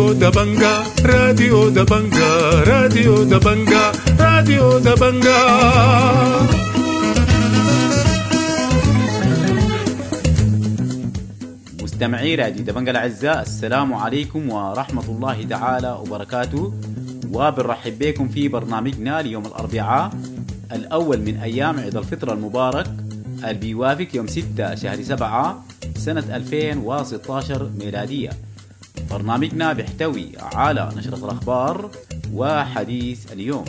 راديو دبنجا، راديو دبنجا، راديو دبنجا، راديو دبنجا. مستمعي راديو دبنجا الأعزاء، السلام عليكم ورحمة الله تعالى وبركاته، وبنرحب بكم في برنامجنا ليوم الأربعاء الأول من أيام عيد الفطر المبارك اللي بيوافق يوم 6 شهر 7 سنة 2016 ميلادية. برنامجنا بيحتوي على نشرة الأخبار وحديث اليوم،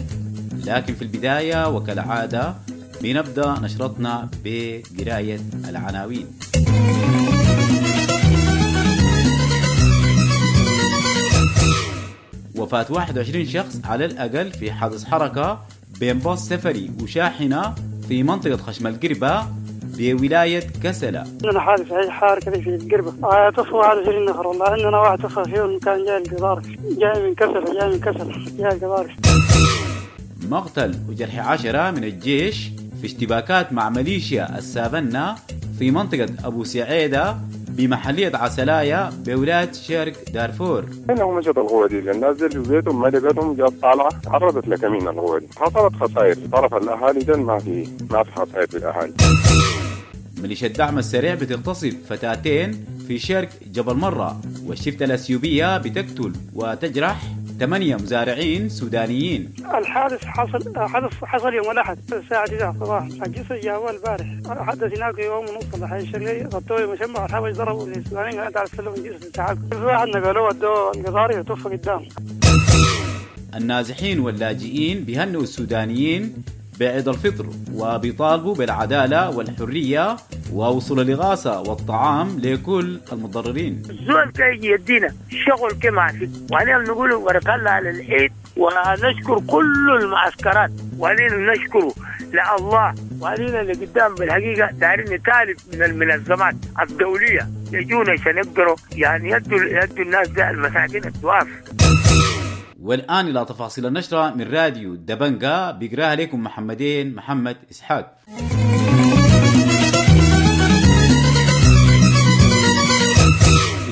لكن في البداية وكالعادة بنبدأ نشرتنا بقراية العناوين. وفاة 21 شخص على الأقل في حادث حركة بين باص سفري وشاحنة في منطقة خشم القربة بولاية كسلة. عندنا حادث حار كده في القربة، توفوا 21 نفر. والله عندنا واحد توفى فيهم كان جاي القضارف، جاي من كسلة، جاي من كسلة، جاي القضارف. مقتل وجرح 10 من الجيش في اشتباكات مع ميليشيا السافنة في منطقة أبو سعيدة بمحلية عسلايا بولاية شرق دارفور. انه مشت القوة دي الناس دي في بيتهم ما لقيتهم، جات طالعة تعرضت لكمين القوة دي، حصلت خسائر طرف الأهالي ده، ما في خسائر في الأهالي. ميليشيا الدعم السريع بتغتصب فتاتين في شرق جبل مرة، والشفتة الأثيوبية بتقتل وتجرح 8 مزارعين سودانيين. الحادث حصل يوم الأحد الساعة 9 صباحا، الجسر جاء البارح، حدث هناك يوم ونص الحي الشرقي، غطوه مشمع الحبش ضربوا السودانيين، قالوا تعال سلموا الجسر بتاعكم، في واحد نقلوه ودوه القضاري وتوفى قدام. النازحين واللاجئين بيهنئوا السودانيين بعيد الفطر وبيطالبوا بالعدالة والحرية ووصول الإغاثة والطعام لكل المتضررين. الزول كي يدينا شغل كما في، وعلينا نقول بارك الله على العيد، ونشكر كل المعسكرات، وعلينا نشكره لله، وعلينا اللي قدام بالحقيقة دارين نطالب من المنظمات الدولية يجونا عشان يقدروا يعني يدوا الناس ده المساكين الضعاف. والآن إلى تفاصيل النشرة من راديو دبنجا، بيقراها لكم محمدين محمد إسحاق.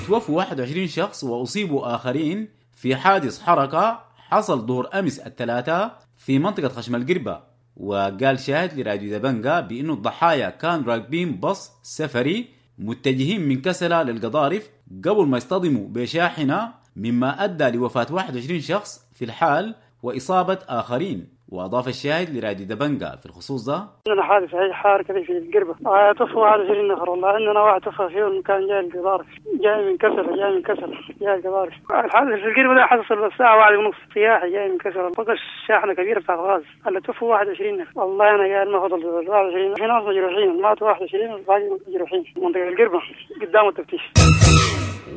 توفوا 21 شخص وأصيبوا آخرين في حادث حركة حصل ظهر أمس الثلاثاء في منطقة خشم القربة. وقال شاهد لراديو دبنجا بأنه الضحايا كانوا راكبين باص سفري متجهين من كسلة للقضارف قبل ما يصطدموا بشاحنة، مما أدى لوفاة 21 شخص في الحال وإصابة آخرين. وأضاف الشاهد لراديو دبنجا في الخصوص ده: عندنا حادث حار كده في القربة، توفوا 21 نفر. والله عندنا واحد توفى فيهم كان جاي القضارف، جاي من كسلة، جاي من كسلة، جاي القضارف. الحادث في القربة ده حصل الساعة 1:30 سياحي جاي من كسلة، فقش شاحنة كبيرة بتاعت غاز، اللي توفوا 21 نفر. والله أنا قاعد ما فضل 21، في ناس مجروحين، ماتوا 21 والباقي مجروحين. منطقة القربة قدام التفتيش.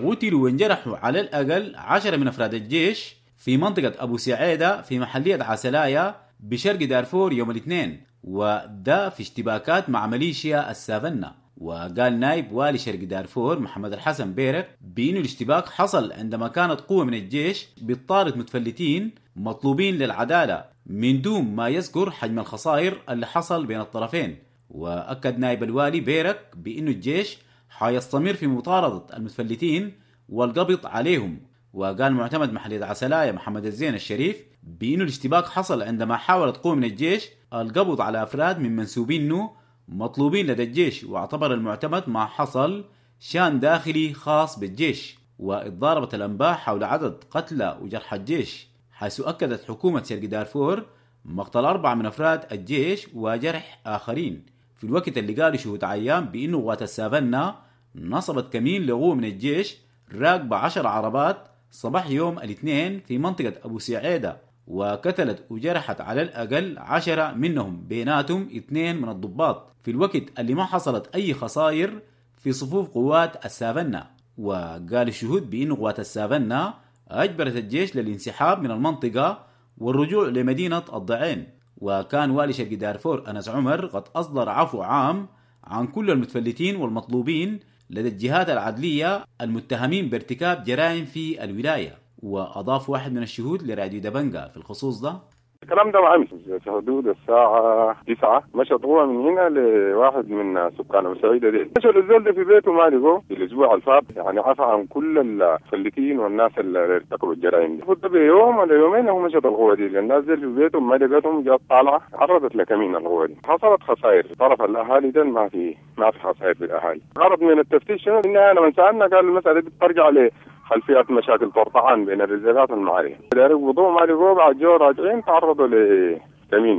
قتلوا وانجرحوا على الأقل 10 من أفراد الجيش في منطقة أبو سعيدة في محلية عسلايا بشرق دارفور يوم الاثنين، وده في اشتباكات مع ميليشيا السافنة. وقال نائب والي شرق دارفور محمد الحسن بيرك بأنه الاشتباك حصل عندما كانت قوة من الجيش بتطارد متفلتين مطلوبين للعدالة من دون ما يذكر حجم الخسائر اللي حصل بين الطرفين. وأكد نائب الوالي بيرك بأنه الجيش حيستمر في مطاردة المتفلتين والقبض عليهم. وقال معتمد محلية عسلايا محمد الزين الشريف بأنه الاشتباك حصل عندما حاولت قوة من الجيش القبض على أفراد من منسوبينه مطلوبين لدى الجيش، واعتبر المعتمد ما حصل شان داخلي خاص بالجيش. واتضاربت الأنباء حول عدد قتلى وجرحى الجيش، حيث أكدت حكومة شرق دارفور مقتل 4 من أفراد الجيش وجرح آخرين، في الوقت اللي قالوا شهود عيان بأنه قوات السافنة نصبت كمين لقوة من الجيش راكبة 10 عربات صباح يوم الاثنين في منطقة أبو سعيدة، وقتلت وجرحت على الأقل 10 منهم، بيناتهم 2 من الضباط، في الوقت اللي ما حصلت أي خسائر في صفوف قوات السافنة. وقال الشهود بأن قوات السافنة أجبرت الجيش للانسحاب من المنطقة والرجوع لمدينة الضعين. وكان والي شرق دارفور أنس عمر قد أصدر عفو عام عن كل المتفلتين والمطلوبين لدى الجهات العدلية المتهمين بارتكاب جرائم في الولاية. وأضاف واحد من الشهود لراديو دبنجا في الخصوص ده: الكلام ده امس في حدود الساعة 9 مشت قوة من هنا لواحد من سكان ابو سعيدة دي، مشوا للزول ده في بيته ما لقوه. في الاسبوع الفات يعني عفى عن كل المفلتين والناس اللي ارتكبوا الجرائم دي. ده بيوم ولا يومين هو مشت القوة دي، الناس دي في بيتهم ما لقتهم، جات طالعه عرضت لكمين القوة دي. حصلت خسائر طرف الاهالي ده، ما في خسائر في الاهالي. غرض من التفتيش شنو؟ لما سالنا قال المسالة دي بترجع ل خلفيات مشاكل طرطعان بين الرزالات والمعارية. داروا قبضوه ما لقوه، بعد جو راجعين تعرضوا لكمين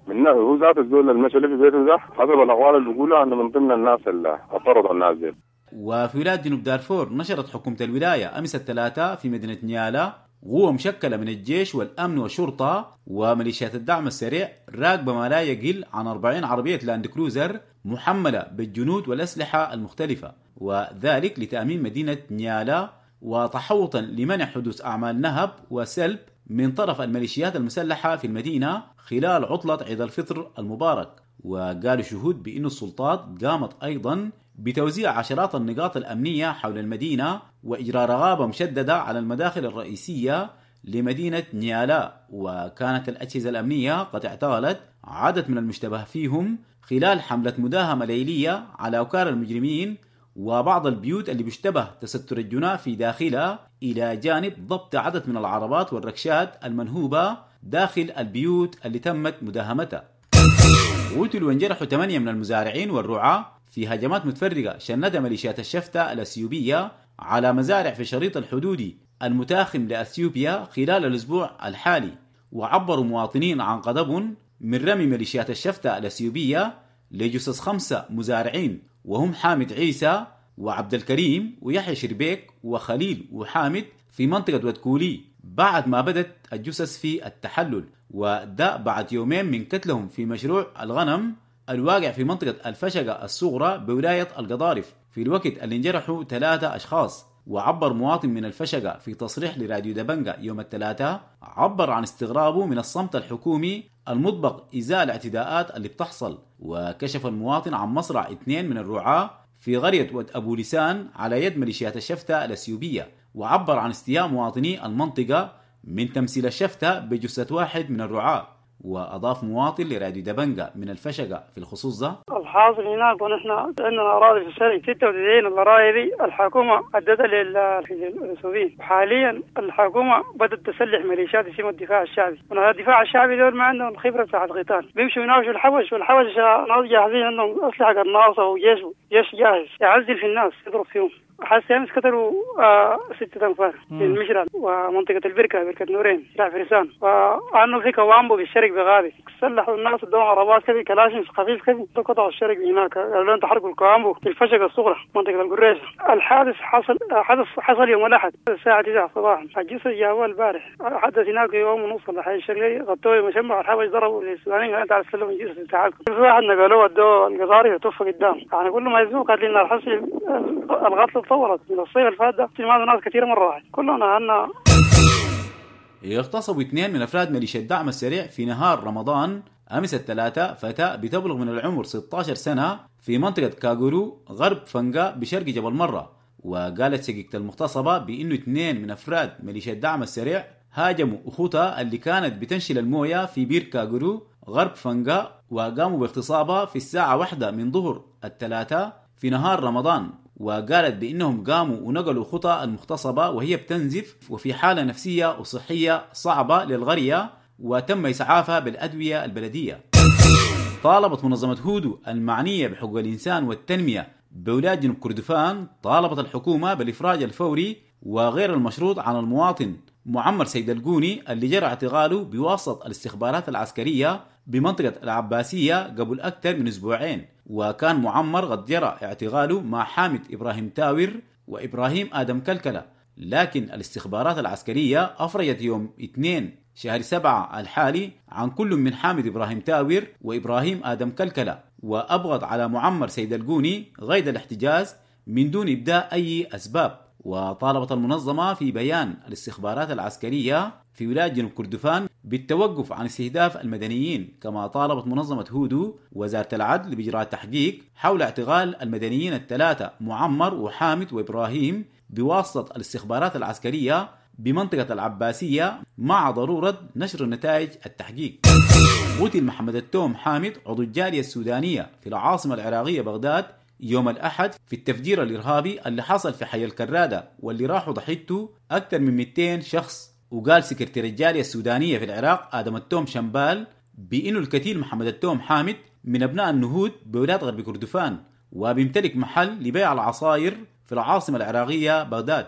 من هو ذات الزول المشى في بيته ده، حسب الاقوال اللي بيقولوا انه من ضمن الناس اللي طردوا الناس دي. وفي ولاية جنوب دارفور نشرت حكومة الولاية أمس الثلاثاء في مدينة نيالا قوة مشكلة من الجيش والأمن والشرطة وميليشيات الدعم السريع راكبة ما لا يقل عن 40 عربية لاند كروزر محملة بالجنود والأسلحة المختلفة، وذلك لتأمين مدينة نيالا وتحوطا لمنع حدوث أعمال نهب وسلب من طرف الميليشيات المسلحة في المدينة خلال عطلة عيد الفطر المبارك. وقالوا شهود بأن السلطات قامت أيضا بتوزيع عشرات النقاط الأمنية حول المدينة وإجراء رغابة مشددة على المداخل الرئيسية لمدينة نيالا. وكانت الأجهزة الأمنية قد اعتقلت عدد من المشتبه فيهم خلال حملة مداهمة ليلية على أوكار المجرمين وبعض البيوت اللي بيشتبه تستر الجناة في داخلها، إلى جانب ضبط عدد من العربات والركشات المنهوبة داخل البيوت اللي تمت مداهمتها. قتلوا وانجرحوا 8 من المزارعين والرعاة في هجمات متفرقة شنتها ميليشيات الشفتة الأثيوبية على مزارع في الشريط الحدودي المتاخم لأثيوبيا خلال الأسبوع الحالي. وعبروا مواطنين عن غضبهم من رمي ميليشيات الشفتة الأثيوبية لجثث 5 مزارعين، وهم حامد عيسى وعبد الكريم ويحيى شربيك وخليل وحامد في منطقة ودكولي بعد ما بدت الجثث في التحلل، وده بعد يومين من قتلهم في مشروع الغنم الواقع في منطقة الفشقة الصغرى بولاية القضارف في الوقت اللي انجرحوا 3 أشخاص. وعبر مواطن من الفشقة في تصريح لراديو دبنجة يوم الثلاثاء، عبر عن استغرابه من الصمت الحكومي المطبق إزاء الاعتداءات اللي بتحصل. وكشف المواطن عن مصرع 2 من الرعاة في قرية ود أبو لسان على يد ميليشيات الشفتة الأثيوبية، وعبر عن استياء مواطني المنطقة من تمثيل الشفتة بجثة واحد من الرعاة. وأضاف مواطن لراديو دبنجة من الفشقة في الخصوص ده: الحاصل هناك ونحن عندنا أراضي في الشرق 96 الأراضي دي الحكومة أدتها للأثيوبيين، وحاليا الحكومة بدأت تسلح ميليشيات اسمها الدفاع الشعبي، والدفاع الشعبي دول ما عندهم الخبرة بتاعت القتال، بيمشوا يناوشوا الحوش، والحوش ناس جاهزين عندهم أسلحة قناصة وجيش جيش جاهز يعزل في الناس يضرب فيهم. حاسس امس قتلوا 6 أنفار في المشرع ومنطقة البركة، بركة نورين، شارع فرسان، وانه في كوامبو بالشرق بغابي سلحوا الناس ادوهم عربات كذي كلاشن خفيف كذي قطعوا الشرق هناك، قالوا لهم تحرقوا الكوامبو في الفشقه الصغرى منطقة القريشه. الحادث حصل يوم الاحد الساعة 9 صباحا، الجثث جابوها البارح، حدث هناك يوم ونص الحي الشرقي غطوه مشمع الحبش ضربوا للسودانيين قالوا تعالوا سلموا الجثث بتاعكم. في واحد نقلوه ادوه القطاري وتوفى قدام، يعني كل ما يزوق قاتلين الحصل القتل تطورت من الصيف الفات ده، ناس كثير مرة واحد كلنا عندنا. اغتصبوا 2 من أفراد ميليشيا الدعم السريع في نهار رمضان أمس الثلاثاء فتاة بتبلغ من العمر 16 سنة في منطقة كاغورو غرب فنقا بشرق جبل مرة. وقالت شقيقة المغتصبة بأنه 2 من أفراد ميليشيا الدعم السريع هاجموا أخوتها اللي كانت بتنشل الموية في بير كاغورو غرب فنقا، وقاموا باغتصابها في الساعة 1 من ظهر الثلاثاء في نهار رمضان. وقالت بأنهم قاموا ونقلوا خطى المغتصبة وهي بتنزف وفي حالة نفسية وصحية صعبة للغرية، وتم إسعافها بالأدوية البلدية. طالبت منظمة هودو المعنية بحقوق الإنسان والتنمية بولاية جنوب كردفان، طالبت الحكومة بالإفراج الفوري وغير المشروط عن المواطن معمر سيد القوني اللي جرى اعتقاله بواسطة الاستخبارات العسكرية بمنطقة العباسية قبل أكثر من أسبوعين. وكان معمر قد جرى اعتقاله مع حامد إبراهيم تاور وإبراهيم آدم كلكلة، لكن الاستخبارات العسكرية أفرجت يوم 2 شهر 7 الحالي عن كل من حامد إبراهيم تاور وإبراهيم آدم كلكلة، وأبغض على معمر سيد القوني غير الاحتجاز من دون إبداء أي أسباب. وطالبت المنظمة في بيان الاستخبارات العسكرية في ولاية جنوب كردفان بالتوقف عن استهداف المدنيين، كما طالبت منظمة هودو وزارة العدل بإجراء تحقيق حول اعتقال المدنيين الثلاثة معمر وحامد وإبراهيم بواسطة الاستخبارات العسكرية بمنطقة العباسية مع ضرورة نشر نتائج التحقيق. قتل محمد التوم حامد عضو الجالية السودانية في العاصمة العراقية بغداد يوم الأحد في التفجير الإرهابي اللي حصل في حي الكرادة واللي راحوا ضحيته أكثر من 200 شخص. وقال سكرتير الجالية السودانية في العراق آدم التوم شمبال بأنه الكتيل محمد التوم حامد من أبناء النهود بولاية غرب كردفان وبيمتلك محل لبيع العصاير في العاصمة العراقية بغداد.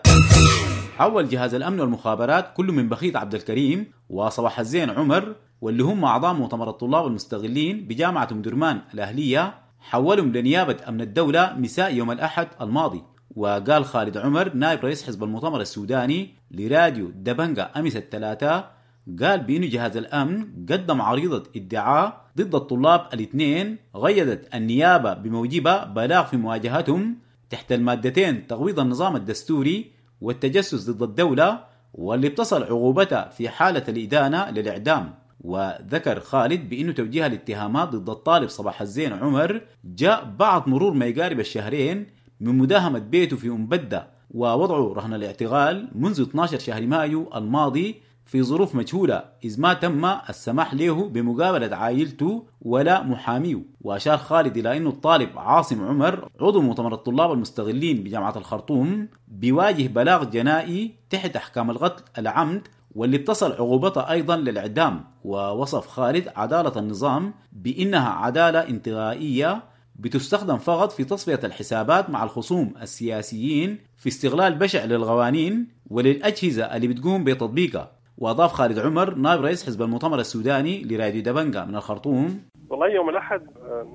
حول جهاز الأمن والمخابرات كل من بخيت عبد الكريم وصباح الزين عمر واللي هم أعضاء مؤتمر الطلاب المستغلين بجامعة أم درمان الأهلية حولهم لنيابة أمن الدولة مساء يوم الأحد الماضي. وقال خالد عمر نائب رئيس حزب المؤتمر السوداني لراديو دبنجا أمس الثلاثاء، قال بأن جهاز الأمن قدم عريضة ادعاء ضد الطلاب الاثنين غيدت النيابة بموجبها بلاغ في مواجهتهم تحت المادتين تغويض النظام الدستوري والتجسس ضد الدولة واللي بتصل عقوبتها في حالة الإدانة للإعدام. وذكر خالد بأنه توجيه الاتهامات ضد الطالب صباح الزين عمر جاء بعد مرور ما يقارب الشهرين من مداهمة بيته في أم بدة ووضعه رهن الاعتقال منذ 12 شهر مايو الماضي في ظروف مجهولة، إذ ما تم السماح له بمقابلة عائلته ولا محاميه. وأشار خالد إلى أنه الطالب عاصم عمر عضو مؤتمر الطلاب المستغلين بجامعة الخرطوم بيواجه بلاغ جنائي تحت أحكام القتل العمد واللي بتصل عقوبتها أيضا للإعدام. ووصف خالد عدالة النظام بأنها عدالة انتقائية بتستخدم فقط في تصفية الحسابات مع الخصوم السياسيين في استغلال بشع للقوانين وللأجهزة اللي بتقوم بتطبيقها. وأضاف خالد عمر نائب رئيس حزب المؤتمر السوداني لراديو دبنجا من الخرطوم: والله يوم الأحد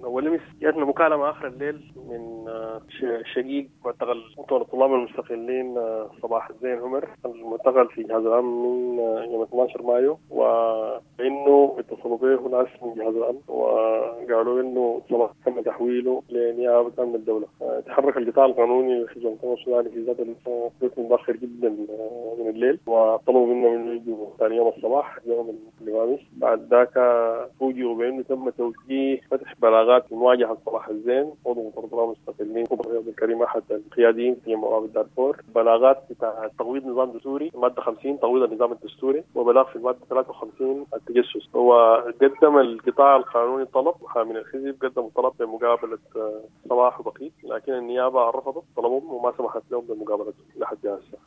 أول أمس جاتنا مكالمة آخر الليل من شقيق معتقل مؤتمر الطلاب المستقلين صباح الزين عمر المعتقل في جهاز الأمن من يوم 12 مايو، وإنه اتصلوا به ناس من جهاز الأمن وقالوا إنه صباح تم تحويله لنيابة أمن الدولة. تحرك القطاع القانوني لحزب المؤتمر السوداني في ذات الوقت متأخر جدا من الليل، وطلبوا منهم إنه يجوا ثاني يوم الصباح يوم الخميس. بعد ذاك فوجئوا بأنه تم توجيه فتح بلاغات في مواجهة صلاح الزين عضو مؤتمر الطلاب المستقلين عبد الكريم أحد القياديين في مقابل دارفور، بلاغات بتاع تقويض نظام دستوري المادة 50 تقويض النظام الدستوري، وبلاغ في المادة 53 التجسس. وقدم القطاع القانوني طلب محامي الحزب قدموا طلب بمقابلة صلاح وبقيت، لكن النيابة رفضت طلبهم وما سمحت لهم بمقابلتهم لحد هسه.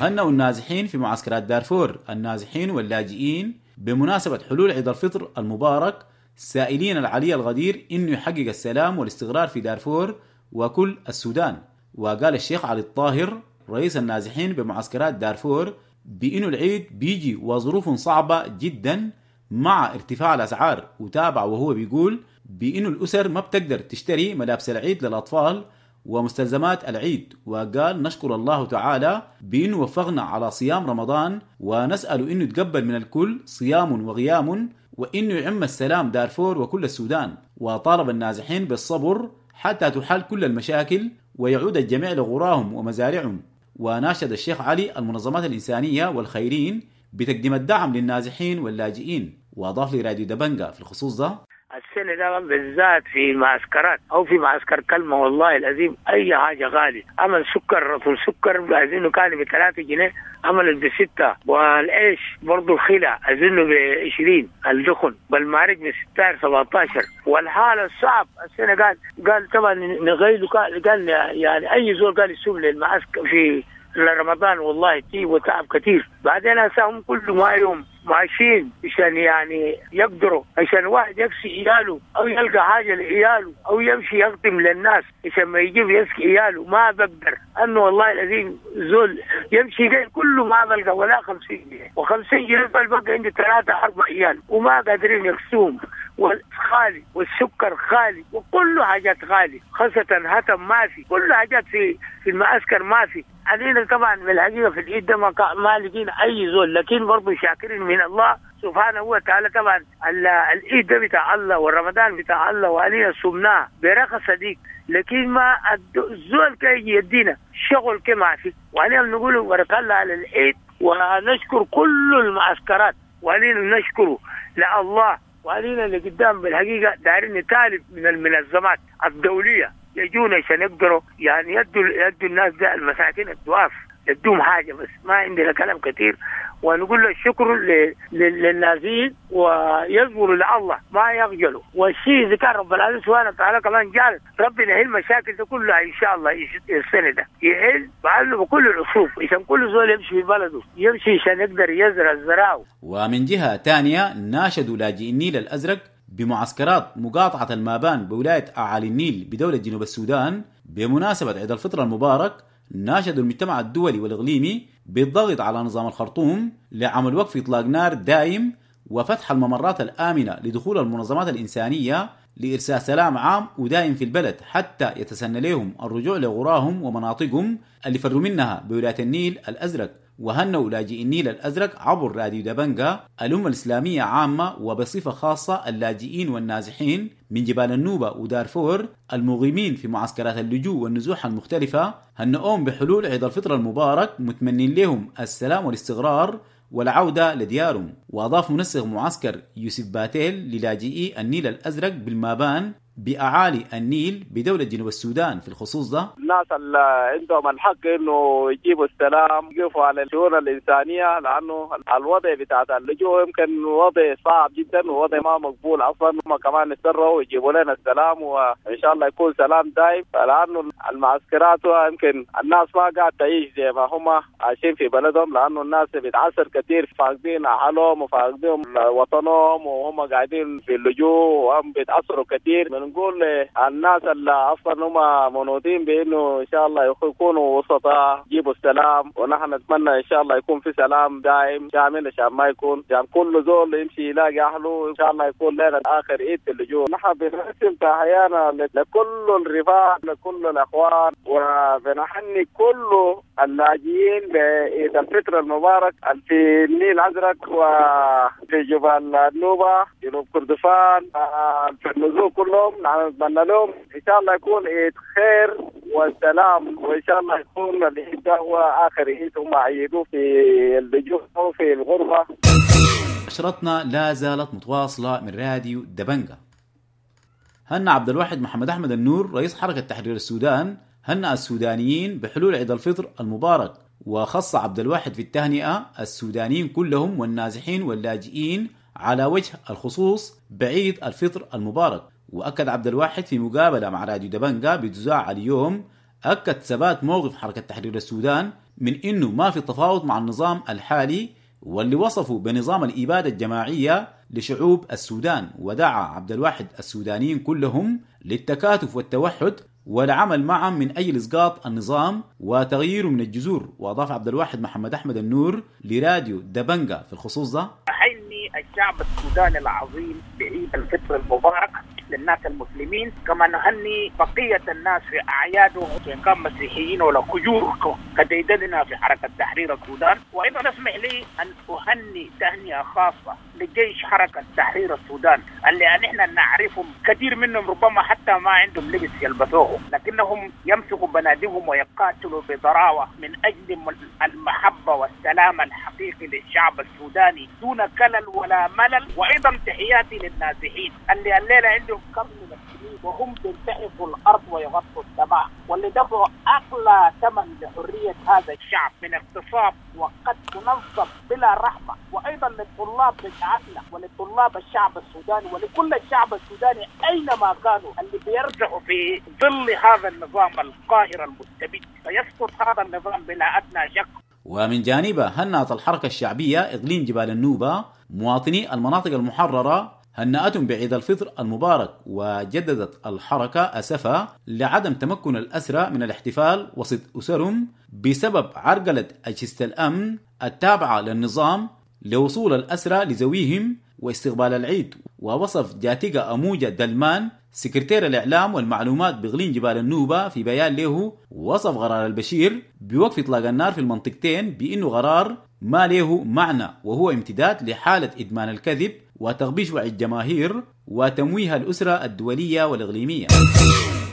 هنأوا النازحين في معسكرات دارفور النازحين واللاجئين بمناسبة حلول عيد الفطر المبارك، سائلين العلي الغدير إنه يحقق السلام والاستقرار في دارفور وكل السودان. وقال الشيخ علي الطاهر رئيس النازحين بمعسكرات دارفور بإنه العيد بيجي وظروف صعبة جدا مع ارتفاع الأسعار، وتابع وهو بيقول بإنه الأسر ما بتقدر تشتري ملابس العيد للأطفال ومستلزمات العيد. وقال نشكر الله تعالى بأنه وفقنا على صيام رمضان، ونسأل أنه يتقبل من الكل صيام وغيام، وأنه يعم السلام دارفور وكل السودان. وطالب النازحين بالصبر حتى تحل كل المشاكل ويعود الجميع لغراهم ومزارعهم. وناشد الشيخ علي المنظمات الإنسانية والخيرين بتقديم الدعم للنازحين واللاجئين. وأضاف لراديو دبنجا في الخصوص ده: السنة ده بالذات في معسكرات أو في معسكر كلمة والله العظيم أي حاجة غالي. عمل سكر رطل سكر أظنه كان ب3 جنيه عمل ب6، والعيش برضو الخلع أظنه ب20، الدخن بالمارج ب16 17. والحالة الصعب السنة قال طبعا نغيله، قال يعني أي زول قال يسوم للمعسكر في رمضان والله تيب وتعب كثير. بعدين هسه كل ما يوم ماشيين عشان يعني يقدروا، عشان واحد يكسي عياله او يلقى حاجه لعياله او يمشي يقدم للناس عشان ما يجيب يسكي عياله، ما بقدر. انه والله العظيم زول يمشي جاي كله ما بلقى ولا 50 جنيه، و50 جنيه بلقى عندي 3 4 عيال وما قادرين يكسوهم، والخالي والسكر خالي وكل حاجات غالي، خاصة هتم ما في، كل حاجات في المعسكر ما في. علينا طبعا من الحقيقة في العيد ده ما لقينا أي زول، لكن برضو شاكرين من الله سبحانه وتعالى. طبعا العيد ده بتاع الله والرمضان بتاع الله وعلينا صمناه برخص صديق، لكن ما الزول كي يدينا شغل كما في. وعلينا نقول بارك الله على العيد، ونشكر كل المعسكرات، وعلينا نشكره لله، وعلينا اللي قدام بالحقيقة دارين نطالب من المنظمات الدولية يجونا عشان يقدروا يعني يدوا الناس ده المساكين الضعاف. يدوم حاجة، بس ما عندنا كلام كثير. ونقول له الشكر للنازين ويصبروا لله ما يخجلوا. والشيء إذا كان رب العالمين سبحانه وتعالى كمان جعل ربنا يحل المشاكل دي كلها إن شاء الله. السنة ده يحل بعله بكل الأصول عشان كل زول يمشي في بلده، يمشي عشان يقدر يزرع زراعه. ومن جهة ثانية ناشدوا لاجئ النيل الأزرق بمعسكرات مقاطعة المابان بولاية أعالي النيل بدولة جنوب السودان بمناسبة عيد الفطر المبارك. ناشدوا المجتمع الدولي والإقليمي بالضغط على نظام الخرطوم لعمل وقف إطلاق نار دائم وفتح الممرات الآمنة لدخول المنظمات الإنسانية لإرساء سلام عام ودائم في البلد حتى يتسنى لهم الرجوع لغراهم ومناطقهم اللي فروا منها بولاية النيل الأزرق. وهنوا لاجئ النيل الأزرق عبر راديو دبنجا الأمة الإسلامية عامة وبصفة خاصة اللاجئين والنازحين من جبال النوبة ودارفور المقيمين في معسكرات اللجوء والنزوح المختلفة، هنؤهم بحلول عيد الفطر المبارك متمنين لهم السلام والاستقرار والعودة لديارهم. وأضاف منسق معسكر يوسف باتيل للاجئي النيل الأزرق بالمابان بأعالي النيل بدولة جنوب السودان في الخصوص ده: الناس اللي عندهم الحق انه يجيبوا السلام، يقفوا على الشؤون الانسانيه، لانه الوضع بتاع اللجوء يمكن وضع صعب جدا ووضع ما مقبول اصلا. هم كمان يسروا ويجيبوا لنا السلام وان شاء الله يكون سلام دائم، لانه المعسكرات يمكن الناس ما قاعد تعيش زي ما هم عايشين في بلدهم، لانه الناس بتعسر كثير، فاقدين اهلهم وفاقدين وطنهم وهم قاعدين في اللجوء وهم بيتاثروا كثير. نقول الناس اللي اصلا هم منوطين بانه ان شاء الله يكونوا وسطاء يجيبوا السلام، ونحن نتمنى ان شاء الله يكون في سلام دائم شامل عشان ما يكون عشان كل زول يمشي يلاقي اهله، ان شاء الله يكون لنا اخر عيد في اللجوء. نحن بنرسم تحيانا لكل الرفاق، لكل الاخوان، وبنحني كل اللاجئين بعيد الفطر المبارك في النيل الازرق وفي جبال النوبه، جنوب كردفان، في النزول كلهم. نتمنى لهم ان شاء الله يكون عيد خير والسلام، وان شاء الله يكون العيد ده هو اخر عيد هم عيدوه في اللجوء وفي الغربه. نشرتنا لا زالت متواصله من راديو دبنجا. هنأ عبد الواحد محمد احمد النور رئيس حركه تحرير السودان هنأ السودانيين بحلول عيد الفطر المبارك، وخص عبد الواحد في التهنئه السودانيين كلهم والنازحين واللاجئين على وجه الخصوص بعيد الفطر المبارك. وأكد عبد الواحد في مقابلة مع راديو دبنجا بتذاع اليوم، أكد ثبات موقف حركة تحرير السودان من إنه ما في تفاوض مع النظام الحالي واللي وصفه بنظام الإبادة الجماعية لشعوب السودان. ودعا عبد الواحد السودانيين كلهم للتكاتف والتوحد والعمل معا من أجل إسقاط النظام وتغييره من الجذور. وأضاف عبد الواحد محمد أحمد النور لراديو دبنجا في الخصوص ده: أحيي الشعب السوداني العظيم بعيد الفطر المبارك للناس المسلمين، كما نهني بقية الناس في أعيادهم إن كان مسيحيين ولا كجور كديدننا في حركة تحرير السودان. وأيضا اسمح لي أن أهني تهنئة خاصة لجيش حركة تحرير السودان اللي نحن نعرفهم كثير منهم ربما حتى ما عندهم لبس يلبسوه، لكنهم يمسكوا بنادقهم ويقاتلوا بضراوة من أجل المحبة والسلام الحقيقي للشعب السوداني دون كلل ولا ملل. وأيضا تحياتي للنازحين اللي الليلة عندهم كم من السنين وهم بينتحفوا الأرض ويغطوا السماء، واللي دفعوا أغلى ثمن لحرية هذا الشعب من اغتصاب وقتل منظم بلا رحمة. وأيضا للطلاب بتاعتنا وللطلاب الشعب السوداني ولكل الشعب السوداني أينما كانوا اللي بيرجعوا في ظل هذا النظام القاهر المستبد، فيسقط هذا النظام بلا أدنى شك. ومن جانبه هنأت الحركة الشعبية إقليم جبال النوبة مواطني المناطق المحررة هنأتهم بعيد الفطر المبارك، وجددت الحركة أسفها لعدم تمكن الأسرى من الاحتفال وسط أسرهم بسبب عرقلة أجهزة الأمن التابعة للنظام لوصول الأسرى لزويهم واستقبال العيد. ووصف جاتيغا أموجة دلمان سكرتير الإعلام والمعلومات بإقليم جبال النوبة في بيان له وصف قرار البشير بوقف إطلاق النار في المنطقتين بأنه قرار ما له معنى، وهو امتداد لحالة إدمان الكذب وتغبيش وعي الجماهير وتمويه الأسرة الدولية والإقليمية.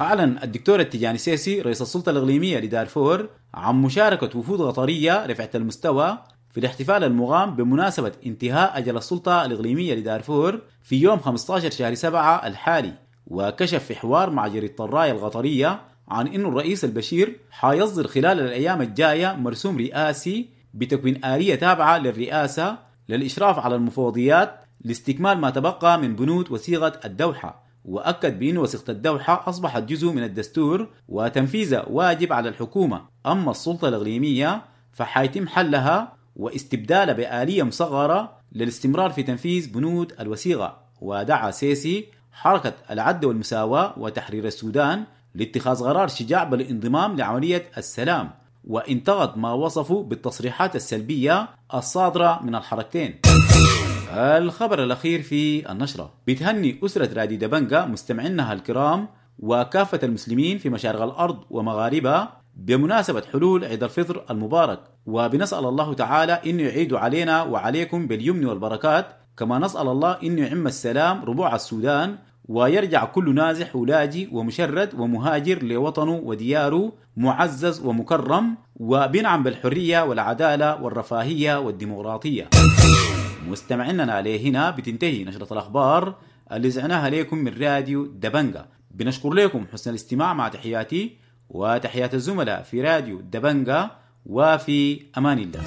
أعلن الدكتور التجاني سيسي رئيس السلطة الإقليمية لدارفور عن مشاركة وفود قطرية رفعت المستوى في الاحتفال المقام بمناسبة انتهاء أجل السلطة الإقليمية لدارفور في يوم 15 شهر 7 الحالي. وكشف في حوار مع جريدة الراية القطرية عن أن الرئيس البشير حيصدر خلال الأيام الجاية مرسوم رئاسي بتكوين آلية تابعة للرئاسة للإشراف على المفوضيات لاستكمال ما تبقى من بنود وثيقة الدوحة. وأكد بأن وثيقة الدوحة أصبحت جزء من الدستور وتنفيذها واجب على الحكومة. أما السلطة الإقليمية فحيتم حلها واستبدالها بآلية مصغرة للاستمرار في تنفيذ بنود الوثيقة. ودعا سيسي حركة العدل والمساواة وتحرير السودان لاتخاذ قرار شجاع بالانضمام لعملية السلام، وانتقد ما وصفه بالتصريحات السلبية الصادرة من الحركتين. الخبر الأخير في النشرة: بتهني أسرة راديو دبنجا مستمعينها الكرام وكافة المسلمين في مشارق الأرض ومغاربها بمناسبة حلول عيد الفطر المبارك، وبنسأل الله تعالى إنه يعيد علينا وعليكم باليمن والبركات، كما نسأل الله إنه يعم السلام ربوع السودان ويرجع كل نازح ولاجئ ومشرد ومهاجر لوطنه ودياره معزز ومكرم، وبنعم بالحرية والعدالة والرفاهية والديمقراطية. مستمعينا عليه هنا بتنتهي نشرة الأخبار اللي زعناها لكم من راديو دبنجا. بنشكر لكم حسن الاستماع، مع تحياتي وتحيات الزملاء في راديو دبنجا، وفي أمان الله.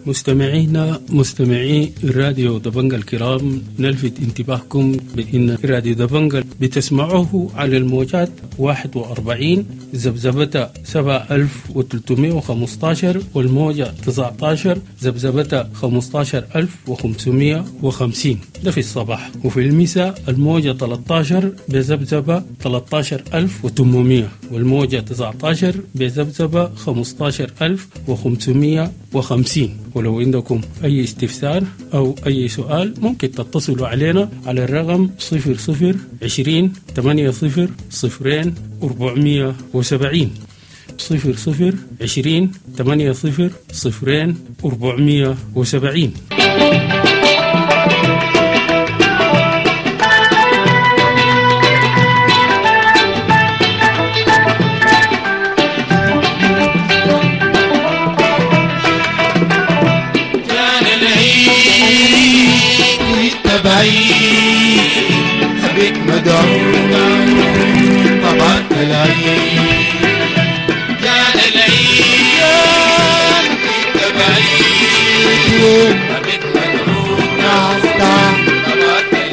مستمعينا مستمعي راديو دبنجا الكرام، نلفت انتباهكم بأن راديو دبنجا بتسمعوه على الموجات 41 ذبذبة 7315 والموجة 19 ذبذبة 15550، ده في الصباح، وفي المساء الموجة 13 بذبذبة 13800 والموجة 19 بذبذبة 15550. ولو عندكم أي استفسار أو أي سؤال ممكن تتصلوا علينا على الرقم 00 20 80 0 470، 00 20 80 0 470. حبيت مدعو طبعت العين، كان العيد تبعيد، حبيت مدعو طبعت العين.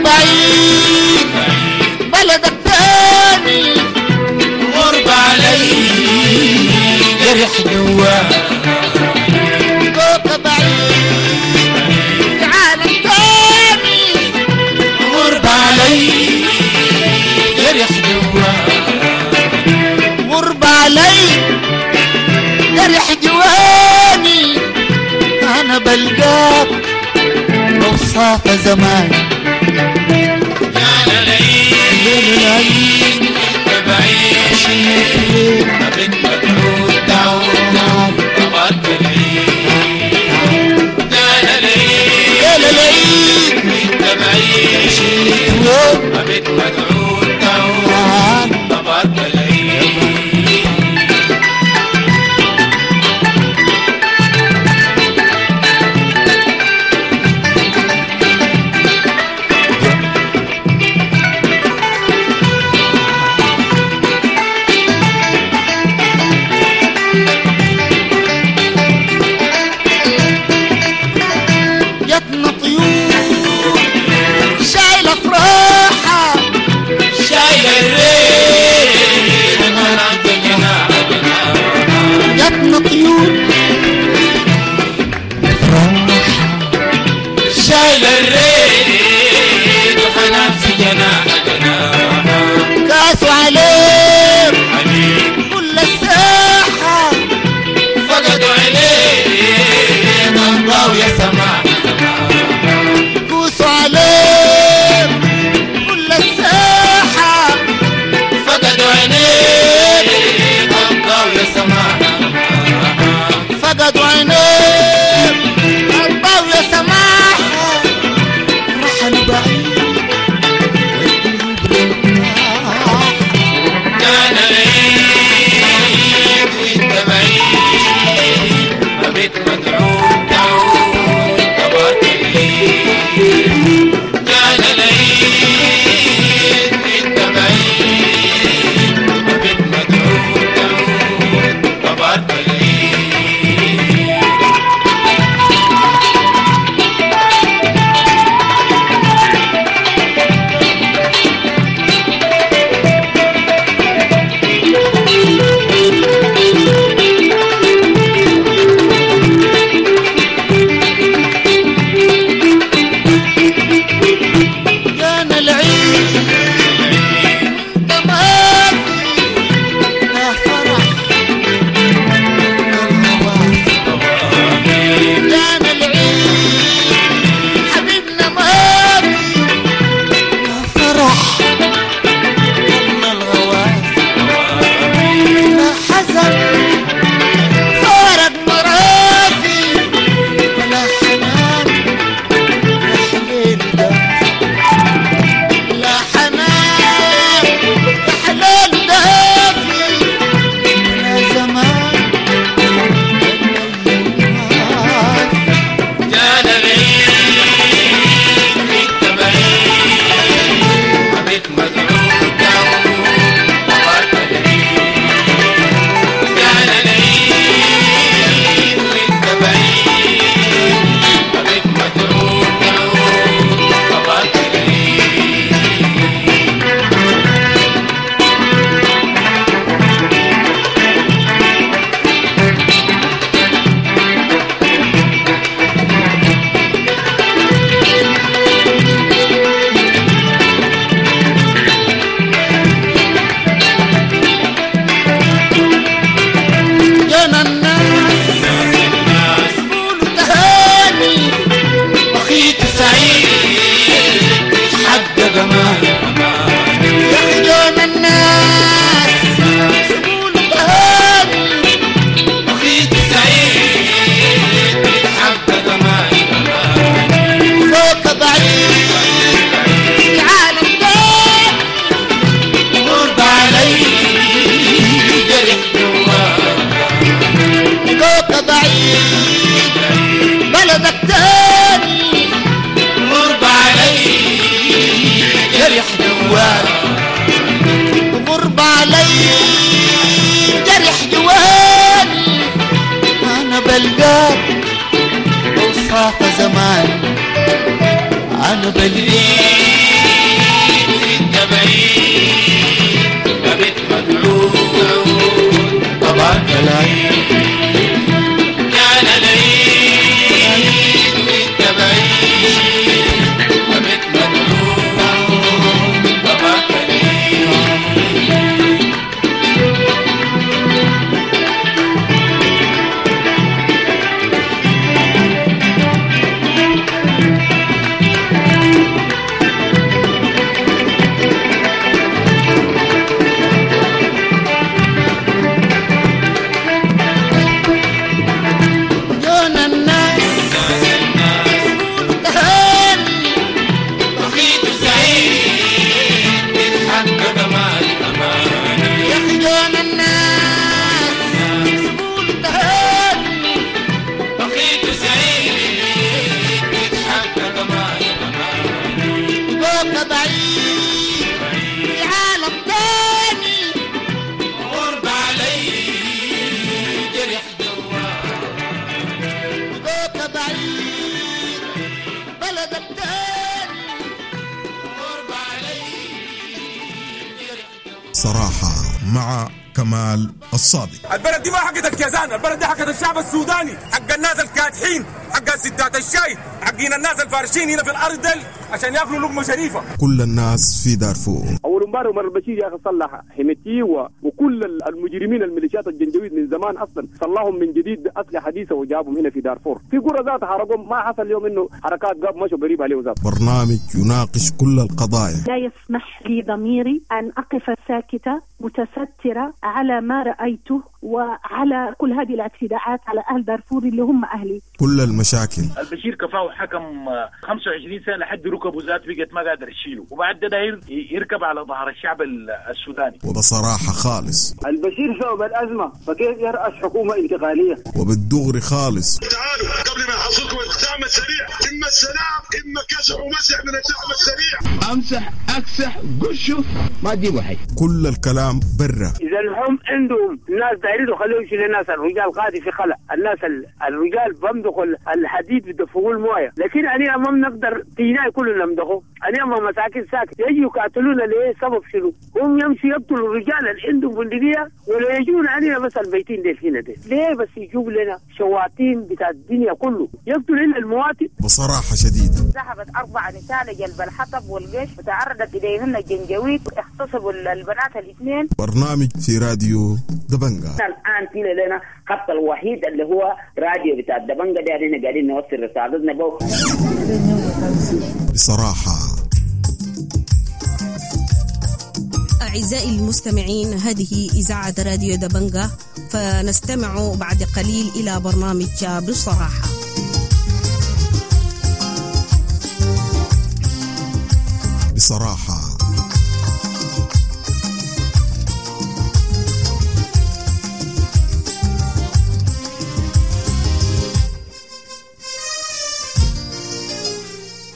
بعيد بلدك تاني غربة علي جرح جواه، فوق بعيد في عالم تاني غربة علي جرح جواه، غربة علي جرح جواني، أنا بلقاك أوصاف زمان. العيد بعيد حبيت مدعو تعود طبعت العيد، كان العيد بعيد حبيت مدعو تعود. شايل الريح حنان في جناح جاتنا طيور شايل الريح حنان في جناح جناح كاسوا عليك كل الساحة فقدوا عليه ضنباو يا سماح كوسوا عليك كل الساحة فقدوا عينيه ضنباو يا سماح فقدوا عينيك أرباو يا سماحة رحلوا بعيد كان العيد وانت بعيد بيت مدعو تعود تبارك العيد كان العيد وانت بعيد بيت مدعو تعود تبارك العيد كان العيد انت مافي لا فرح كان العيد حبيبنا مافي لا فرح ولا الغواص لا حزن فارق مرافي ولا حنان يا حليل ده لا حنان يا حلال دافي ولا زمان كان العيد وانت بعيد بيت مدعو تعود تبارك العيد كان العيد وانت بعيد بيت مدعو تعود تبارك العيد جانا الناس يقولوا تهاني بخيت سعيد حق جمال يا أخي جانا الناس يقولوا تهاني بخيت سعيد حق جمال فوق بعيد العالم تاني غرب علي جرح جواه فوق بعيد بلدك تاني غرب علي جرح جواه غرب علي جرح جواني انا بلقاك اوصاف زمان انا بلقاك انت بعيد بيت مدعو طبعا العيد كان العيد وانت بعيد بيت مدعو طبعا العيد يا بصراحة مع كمال الصادق. البلد دي ما حقت الكيزان، البلد دي حقت الشعب السوداني، حق الناس الكادحين، حق ستات الشاي، حقين الناس الفارشين هنا في الارض دل عشان ياكلوا لقمة شريفه. كل الناس في دارفور. اول امبارح عمر البشير يا اخي صلح حميتي وكل المجرمين الميليشيات الجنجويد من زمان اصلا صلحهم من جديد باسلحه حديثه وجابهم هنا في دارفور. في قرى ذات حرقهم، ما حصل اليوم انه حركات قاب مشوا قريب عليه ذات. برنامج يناقش كل القضايا. لا يسمح لي ضميري ان اقف ساكته متستره على ما رايته وعلى كل هذه الاعتداءات على اهل دارفور اللي هم اهلي. كل المشاكل. البشير كفاه حكم 25 سنة لحد ركبه ذات بقت ما قادر يشيله، وبعد ده داير يركب على ظهر الشعب السوداني. وبصراحة خالص البشير سبب الازمة، فكيف يرأس حكومة انتقالية؟ وبالدغري خالص. تعالوا قبل ما يحصلكم الدعم السريع، اما السلام اما كسح ومسح من الدعم السريع. امسح اكسح قشه ما تجيبوا حاجة. كل الكلام برا. اذا هم عندهم ناس دايرين خليهم يشيلوا الناس، الرجال قاعد في خلا، الناس الرجال بمدخوا الحديد بدفقوا المويه، لكن انا ما بنقدر تينا كلنا نمدخه، انا ما مساكن ساكت يجوا يقاتلونا ليه؟ سبب شنو؟ هم يمشي يقتلوا الرجال اللي عندهم بندقية ولا يجون علينا بس البيتين ديل هنا ديل، ليه بس يجيب لنا شواطين بتاع الدنيا كله يقتل لنا المواطن؟ بصراحة شديدة. ذهبت 4 نساء لجلب الحطب والقش وتعرضت اليهن الجنجويد، اغتصبوا البنات الاثنين. برنامج في راديو دبنجا. الان في لنا خط الوحيد اللي هو راديو بتاع الدبنجا ده، احنا قاعدين نوصل رسالتنا بو بصراحة. أعزائي المستمعين، هذه إذاعة راديو دبنجا، فنستمع بعد قليل إلى برنامج بصراحة. بصراحة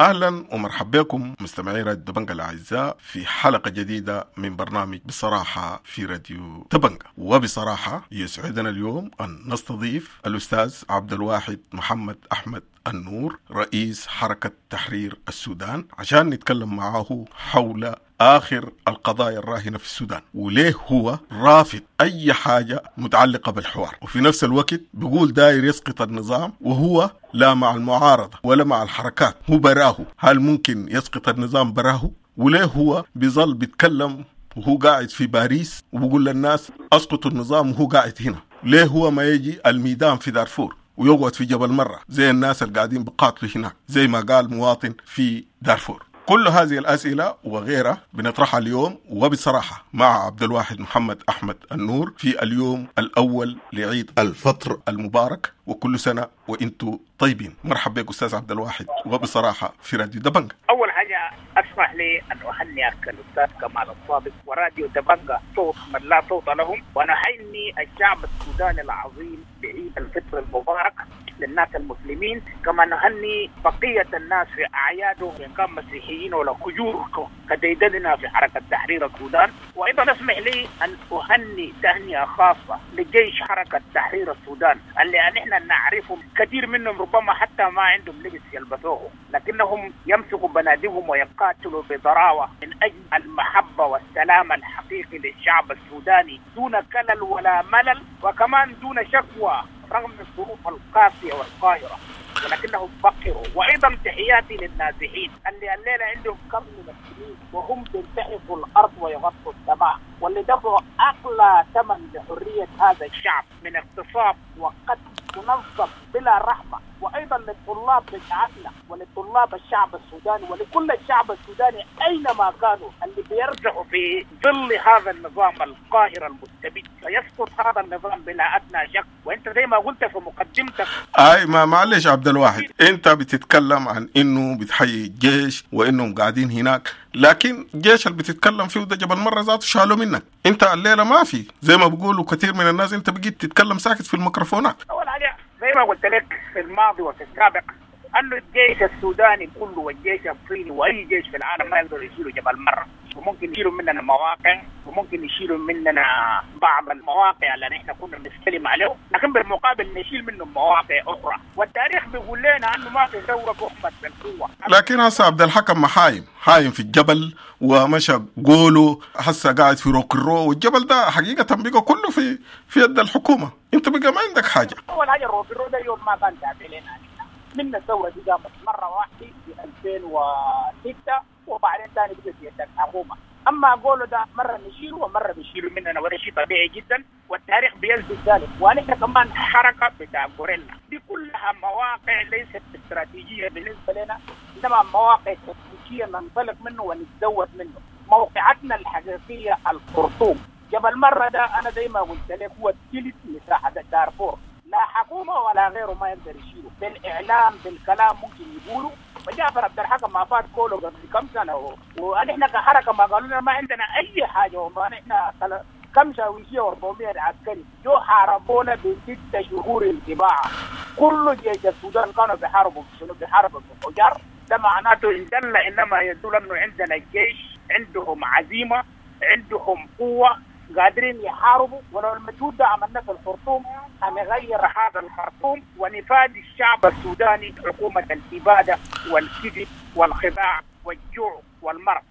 اهلا ومرحبا بكم مستمعي راديو دبنجا الاعزاء في حلقة جديدة من برنامج بصراحة في راديو دبنجا. وبصراحة يسعدنا اليوم ان نستضيف الاستاذ عبد الواحد محمد احمد النور، رئيس حركة تحرير السودان، عشان نتكلم معه حول آخر القضايا الراهنة في السودان، وليه هو رافض أي حاجة متعلقة بالحوار، وفي نفس الوقت بيقول داير يسقط النظام وهو لا مع المعارضة ولا مع الحركات، هو براه. هل ممكن يسقط النظام براه؟ وليه هو بيظل بيتكلم وهو قاعد في باريس وبيقول للناس أسقطوا النظام وهو قاعد هنا؟ ليه هو ما يجي الميدان في دارفور ويقعد في جبل مرة زي الناس اللي قاعدين بقاتلوا هناك زي ما قال مواطن في دارفور؟ كل هذه الأسئلة وغيرها بنطرحها اليوم وبصراحة مع عبد الواحد محمد أحمد النور في اليوم الأول لعيد الفطر المبارك، وكل سنة وإنتم طيبين. مرحبا بك أستاذ عبد الواحد وبصراحة في راديو دبنجا. أول حاجة أسمح لي أن أهنئك الأستاذ كمال الصادق وراديو دبنجا، صوت من لا صوت لهم، ونهني الشعب السوداني العظيم بعيد الفطر المبارك للناس المسلمين، كما نهني بقية الناس في أعيادهم إن كان مسيحيين ولا كجور كديدننا في حركة تحرير السودان. وأيضا اسمح لي أن أهني تهنئة خاصة لجيش حركة تحرير السودان اللي نحن نعرفهم، كثير منهم ربما حتى ما عندهم لبس يلبسوه، لكنهم يمسكوا بنادقهم ويقاتلوا بضراوة من أجل المحبة والسلام الحقيقي للشعب السوداني دون كلل ولا ملل، وكمان دون شكوى رغم الظروف القاسية والقاهرة، ولكنهم فقروا. وأيضا تحياتي للنازحين اللي الليلة عندهم كم من السنين وهم بينتحفوا الأرض ويغطوا السماء، واللي دفعوا أغلى ثمن لحرية هذا الشعب من اغتصاب وقتل منظم بلا رحمة. وأيضا للطلاب بتاعتنا ولطلاب الشعب السوداني ولكل الشعب السوداني أينما كانوا اللي بيرجعوا في ظل هذا النظام القاهر المستبد، سيسقط هذا النظام بلا أدنى شك. وأنت زي ما قلت في مقدمتك، أي ما معلش عبد الواحد، أنت بتتكلم عن إنه بتحيي الجيش وإنهم قاعدين هناك، لكن الجيش اللي بتتكلم فيه ده جبل مرة ذاته شالوا منك أنت الليلة، ما في زي ما بيقولوا كثير من الناس أنت بقيت تتكلم ساكت في الميكروفونات. أول حاجة زي ما قلت لك في الماضي وفي السابق أنه الجيش السوداني كله والجيش الصيني وأي جيش في العالم ما يقدر يشيلوا جبل مرة. وممكن يشيلوا مننا مواقع، وممكن يشيلوا مننا بعض المواقع اللي نحن كنا بنستلم عليه، لكن بالمقابل نشيل منهم مواقع اخرى. والتاريخ بيقول لنا انه ما في ثورة تحمد بالقوة. لكن هسه عبد الحكم حايم في الجبل ومشى قولوا هسه قاعد في روكرو، والجبل ده حقيقة بقى كله في يد الحكومة، انت بقى ما عندك حاجة. اول حاجة الروكرو ده يوم ما كان تابع لنا، من الثورة دي قامت مرة واحدة في 2006 وبعدين ثاني بقت في يد الحكومة. اما قولوا ده مرة نشيله ومرة بيشيلوا مننا، وده شيء طبيعي جدا والتاريخ بيثبت ذلك. ونحن كمان حركة بتاع غوريلا دي كلها مواقع ليست استراتيجية بالنسبة لنا، انما مواقع تكتيكية ننطلق منه ونتزود منه. موقعتنا الحقيقية الخرطوم. جبل مرة ده انا زي ما قلت لك هو ثلث مساحة دارفور، لا حكومة ولا غيره ما يقدر يشيله بالاعلام بالكلام ممكن يقولوا. وجعفر عبد الحكم ما فات كله قبل كم سنة، ونحن كحركه ما قالوا لنا ما عندنا اي حاجة، وما نحن كم شاويشيه و400 عسكري جو حاربونا ب6 شهور انتباعه. كل جيش السودان كانوا بيحاربوا شنو؟ بيحاربوا بالحجار. ده معناته ان دل انما يدل انه عندنا الجيش عندهم عزيمة، عندهم قوة، قادرين يحاربوا. ولو المجهود ده عملناه في الخرطوم هنغير هذا الخرطوم ونفادي الشعب السوداني حكومة الإبادة والكذب والخداع والجوع والمرض.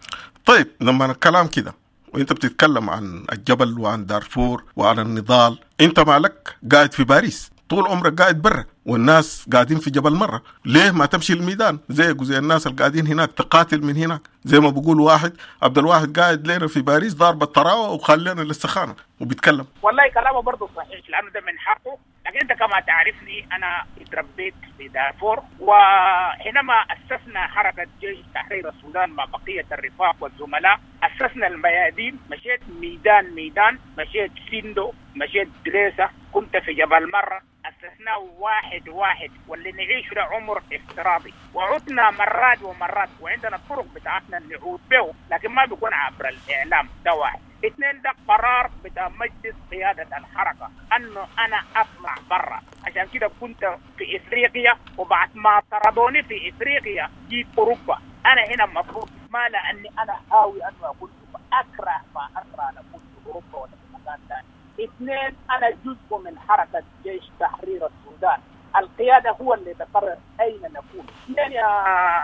طيب لما الكلام كده وانت بتتكلم عن الجبل وعن دارفور وعن النضال، انت مالك قاعد في باريس طول عمرك قاعد برا والناس قاعدين في جبل مرة، ليه ما تمشي الميدان زيك وزي الناس اللي قاعدين هناك تقاتل من هناك؟ زي ما بقول واحد عبد الواحد قاعد لنا في باريس ضارب الطراوة وخلينا للسخانة وبيتكلم. والله كلامه برضه صحيح لأنه ده من حقه، لكن أنت كما تعرفني أنا اتربيت في دارفور، وحينما أسسنا حركة جيش تحرير السودان مع بقية الرفاق والزملاء أسسنا الميادين، مشيت ميدان ميدان، مشيت سندو، مشيت دريسة، كنت في جبل مرة، أسسناه واحد واحد، واللي نعيش له عمر افتراضي، وعدنا مرات ومرات، وعندنا الطرق بتاعتنا نعود به، لكن ما بيكون عبر الإعلام. ده واحد. اثنين، ده قرار بتاع مجلس قيادة الحركة أنه أنا أطلع برا، عشان كده كنت في إفريقيا، وبعد ما طردوني في إفريقيا جيت أوروبا. أنا هنا مفروض ما لأني أنا هاوي أنه أكون أكره ما أكره أن أكون في أوروبا ولا في مكان ثاني. اثنين، أنا جزء من حركة جيش تحرير السودان، القيادة هو اللي تقرر أين نكون. اثنين، يا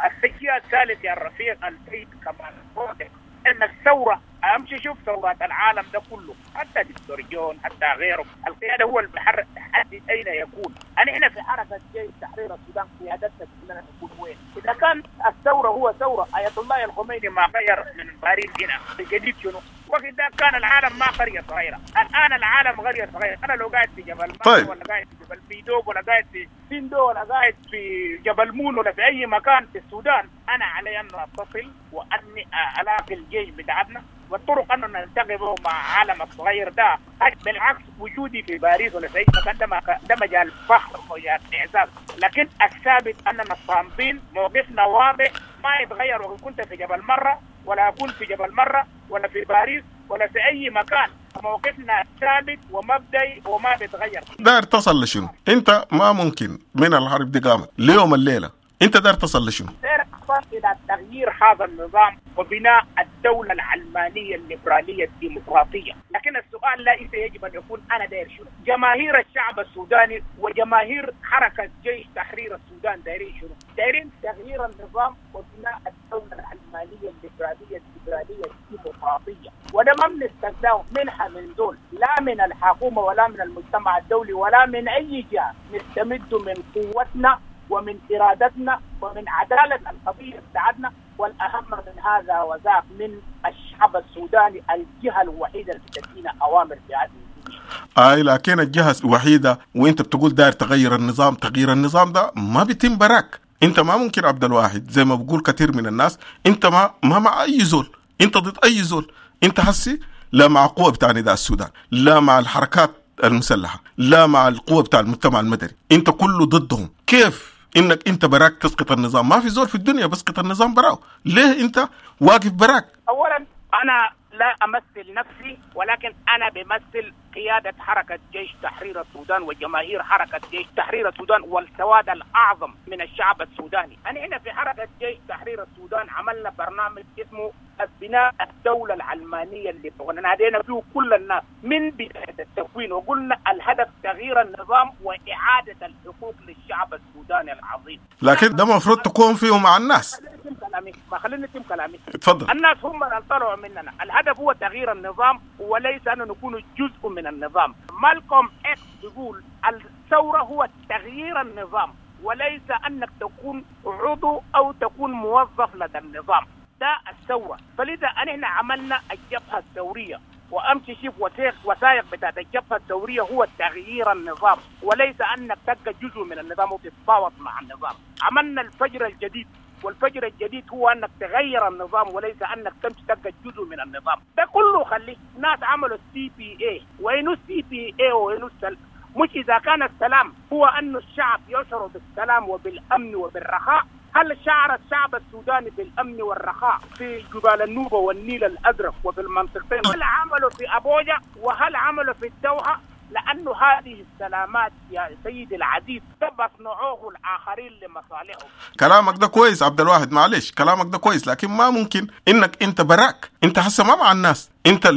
السجية الثالث يا الرفيق السيد كمال صادق، أن الثورة أمشي شوف ثورات العالم ده كله، حتى دكتور جون حتى غيره، القيادة هو اللي بحرك تحدد أين يكون. أنا هنا في حركة جيش تحرير السودان قيادتنا كلنا نكون وين؟ إذا كان الثورة هو ثورة آية الله الخميني ما غير من باريس هنا الجديد شنو؟ وقت ده كان العالم ما قرية صغيرة، الآن العالم قرية صغيرة. أنا لو قاعد في جبل طيب. ولا قاعد في جبل بيدوب ولا قاعد في سندو ولا قاعد في جبل مون ولا في أي مكان في السودان، أنا علي أن أتصل وأني ألاقي الجيش بتاعتنا والطرق أنه نلتقي به مع عالم الصغير ده. بالعكس وجودي في باريس ولا في أي مكان ده مجال فخر ومجال إعزاز، لكن الثابت أننا صامدين، موقفنا واضح ما يتغير. وإن كنت في جبل مرة ولا أكون في جبل مرة ولا في باريس ولا في أي مكان، موقفنا ثابت ومبدئي وما بيتغير. داير تصل لشنو؟ أنت ما ممكن من الحرب دي قامت ليوم الليلة، أنت داير تصل لشنو؟ داير أصل إلى تغيير هذا النظام وبناء الدولة العلمانية الليبرالية الديمقراطية. لكن السؤال ليس يجب أن يكون أنا داير شنو؟ جماهير الشعب السوداني وجماهير حركة جيش تحرير السودان دايرين شنو؟ دايرين تغيير النظام وبناء الدولة العلمانية الليبرالية الليبرالية الديمقراطية، وده ما بنستناه منها من دول، لا من الحكومة ولا من المجتمع الدولي ولا من أي جهة. نستمد من قوتنا ومن إرادتنا ومن عدالة القضية بتاعتنا، والأهم من هذا وذاك من الشعب السوداني، الجهة الوحيدة اللي بتدينا أوامر في هذه الدنيا. أي لكن الجهة الوحيدة، وأنت بتقول داير تغير النظام، تغيير النظام ده ما بيتم براك. أنت ما ممكن عبد الواحد زي ما بقول كثير من الناس، أنت ما مع أي زول، أنت ضد أي زول. أنت حسي لا مع قوة بتاع نداء السودان، لا مع الحركات المسلحة، لا مع القوة بتاع المجتمع المدني، أنت كله ضدهم. كيف انك انت براك تسقط النظام؟ ما في زول في الدنيا بسقط النظام براو، ليه انت واقف براك؟ اولا انا لا امثل نفسي، ولكن انا بمثل قيادة حركة جيش تحرير السودان وجماهير حركة جيش تحرير السودان والسواد الأعظم من الشعب السوداني. أنا هنا في حركة جيش تحرير السودان عملنا برنامج اسمه بناء الدولة العلمانية اللي نادينا فيه كل الناس من بداية التكوين، وقلنا الهدف تغيير النظام وإعادة الحقوق للشعب السوداني العظيم. لكن ده المفروض تكون فيه مع الناس. ما خليني اتم كلامي. اتفضل. الناس هم اللي طلعوا مننا، الهدف هو تغيير النظام وليس أن نكون جزء من النظام. مالكوم إكس بيقول الثورة هو تغيير النظام وليس أنك تكون عضو أو تكون موظف لدى النظام. ده الثورة. فلذا نحن عملنا الجبهة الثورية، وأمشي شوف وثائق بتاعت الجبهة الثورية هو تغيير النظام وليس أنك تبقى جزء من النظام وتتفاوض مع النظام. عملنا الفجر الجديد، والفجر الجديد هو أنك تغير النظام وليس أنك تمشي تبقى جزء من النظام. ده كله خليه ناس عملوا CPA. وينو CPA وينو مش إذا كان السلام هو أن الشعب يشعر بالسلام وبالأمن وبالرخاء. هل شعر الشعب السوداني بالأمن والرخاء في جبال النوبة والنيل الأزرق وفي المنطقتين؟ هل عملوا في أبوجا وهل عملوا في الدوحة؟ لأنه هذه السلامات يا سيدي العزيز بصنعوه الآخرين لمصالحهم. كلامك ده كويس عبد الواحد، معلش كلامك ده كويس، لكن ما ممكن إنك أنت براك، أنت حسه ما مع الناس. أنت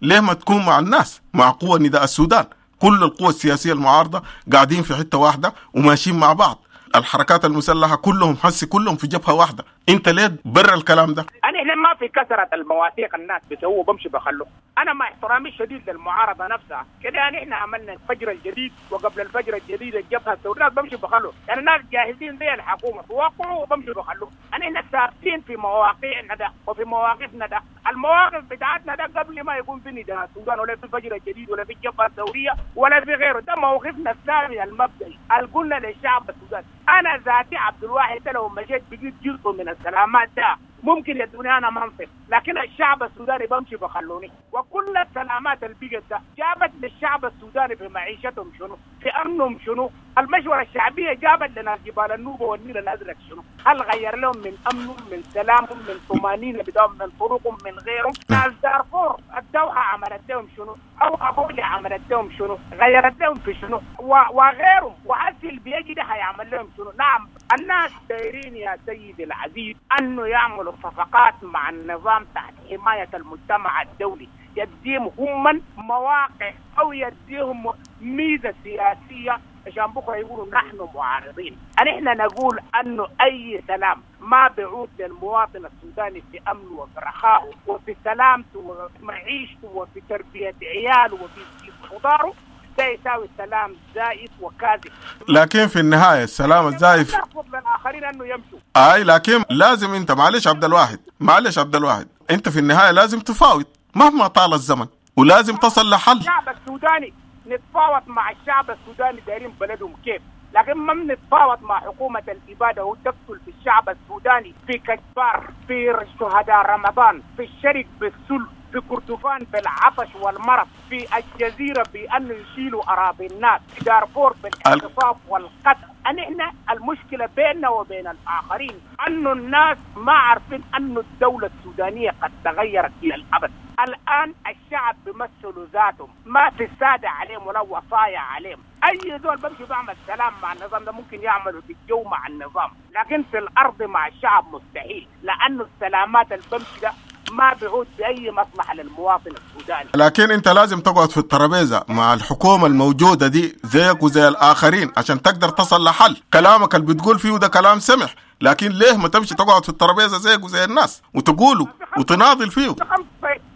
ليه ما تكون مع الناس، مع قوة نداء السودان؟ كل القوى السياسية المعارضة قاعدين في حتة واحدة وماشيين مع بعض، الحركات المسلحة كلهم حسي كلهم في جبهة واحدة. انت ليه برا الكلام ده؟ انا هنا ما في كثرة المواثيق الناس بيسووا بمشي بخلوه. انا مع احترامي الشديد للمعارضة نفسها كده، يعني احنا عملنا الفجر الجديد وقبل الفجر الجديد الجبهة الثورية، الناس بمشي بخلوه، يعني الناس جاهزين زي الحكومة توقعوا وبمشي بخلوه. انا هنا ثابتين في مواقعنا ده وفي مواقفنا ده، المواقف بتاعتنا ده قبل ما يكون في نداء السودان ولا في الفجر الجديد ولا في الجبهة الثورية ولا في غيره. ده موقفنا الثابت المبدئي اللي قلنا للشعب السوداني. انا ذاتي عبد الواحد لو مشيت بقيت جزء من السلامات ده ممكن يدوني انا منصب، لكن الشعب السوداني بمشي بخلوني. وكل السلامات اللي بقت ده جابت للشعب السوداني في معيشتهم شنو؟ في امنهم شنو؟ المشورة الشعبية جابت لنا جبال النوبة والنيل الازرق شنو؟ هل غير لهم من امنهم من سلامهم من طمانينة بتاعهم من طرقهم من غيرهم؟ ناس دارفور الدوحة عملت لهم شنو؟ او ابوجا عملت لهم شنو؟ غيرت لهم في شنو؟ وغيرهم. وحسي اللي بيجي ده هيعمل لهم شنو؟ نعم الناس دايرين يا سيدي العزيز انه يعملوا صفقات مع النظام تحت حماية المجتمع الدولي، يديهم هم مواقع او يديهم ميزة سياسية عشان بكره يقولوا نحن معارضين. نحن نقول انه اي سلام ما بيعود للمواطن السوداني في امنه وفي رخائه وفي سلامته وفي معيشته وفي تربيه عياله وفي خضاره، ده يساوي سلام زائف وكاذب. لكن في النهاية السلام الزائف نرفض للاخرين انه يمشوا. اي لكن لازم انت معلش عبد الواحد، معلش عبد الواحد، انت في النهاية لازم تفاوض مهما طال الزمن ولازم تصل لحل. الشعب السوداني نتفاوض مع الشعب السوداني دايرين بلدهم كيف، لكن ما بنتفاوض مع حكومة الإبادة وتقتل في الشعب السوداني في كجبار، في شهداء رمضان، في الشرق بالسلم، في كردفان بالعطش والمرض، في الجزيرة بأن يشيلوا أراضي الناس، في دارفور بالاغتصاب والقتل. نحن المشكلة بيننا وبين الآخرين أنه الناس ما عارفين أن الدولة السودانية قد تغيرت إلى الأبد. الآن الشعب بيمثلوا ذاتهم، ما في السادة عليهم ولا وصايا عليهم. أي زول بمشي بعمل سلام مع النظام ده ممكن يعملوا في الجو مع النظام، لكن في الأرض مع الشعب مستحيل، لأنه السلامات اللي بمشي ده ما بيعود بأي مصلحة للمواطن السوداني. لكن أنت لازم تقعد في الترابيزة مع الحكومة الموجودة دي زيك وزي الآخرين عشان تقدر تصل لحل. كلامك اللي بتقول فيه ده كلام سمح، لكن ليه ما تمشي تقعد في الترابيزة زيك وزي الناس وتقوله وتناضل فيه؟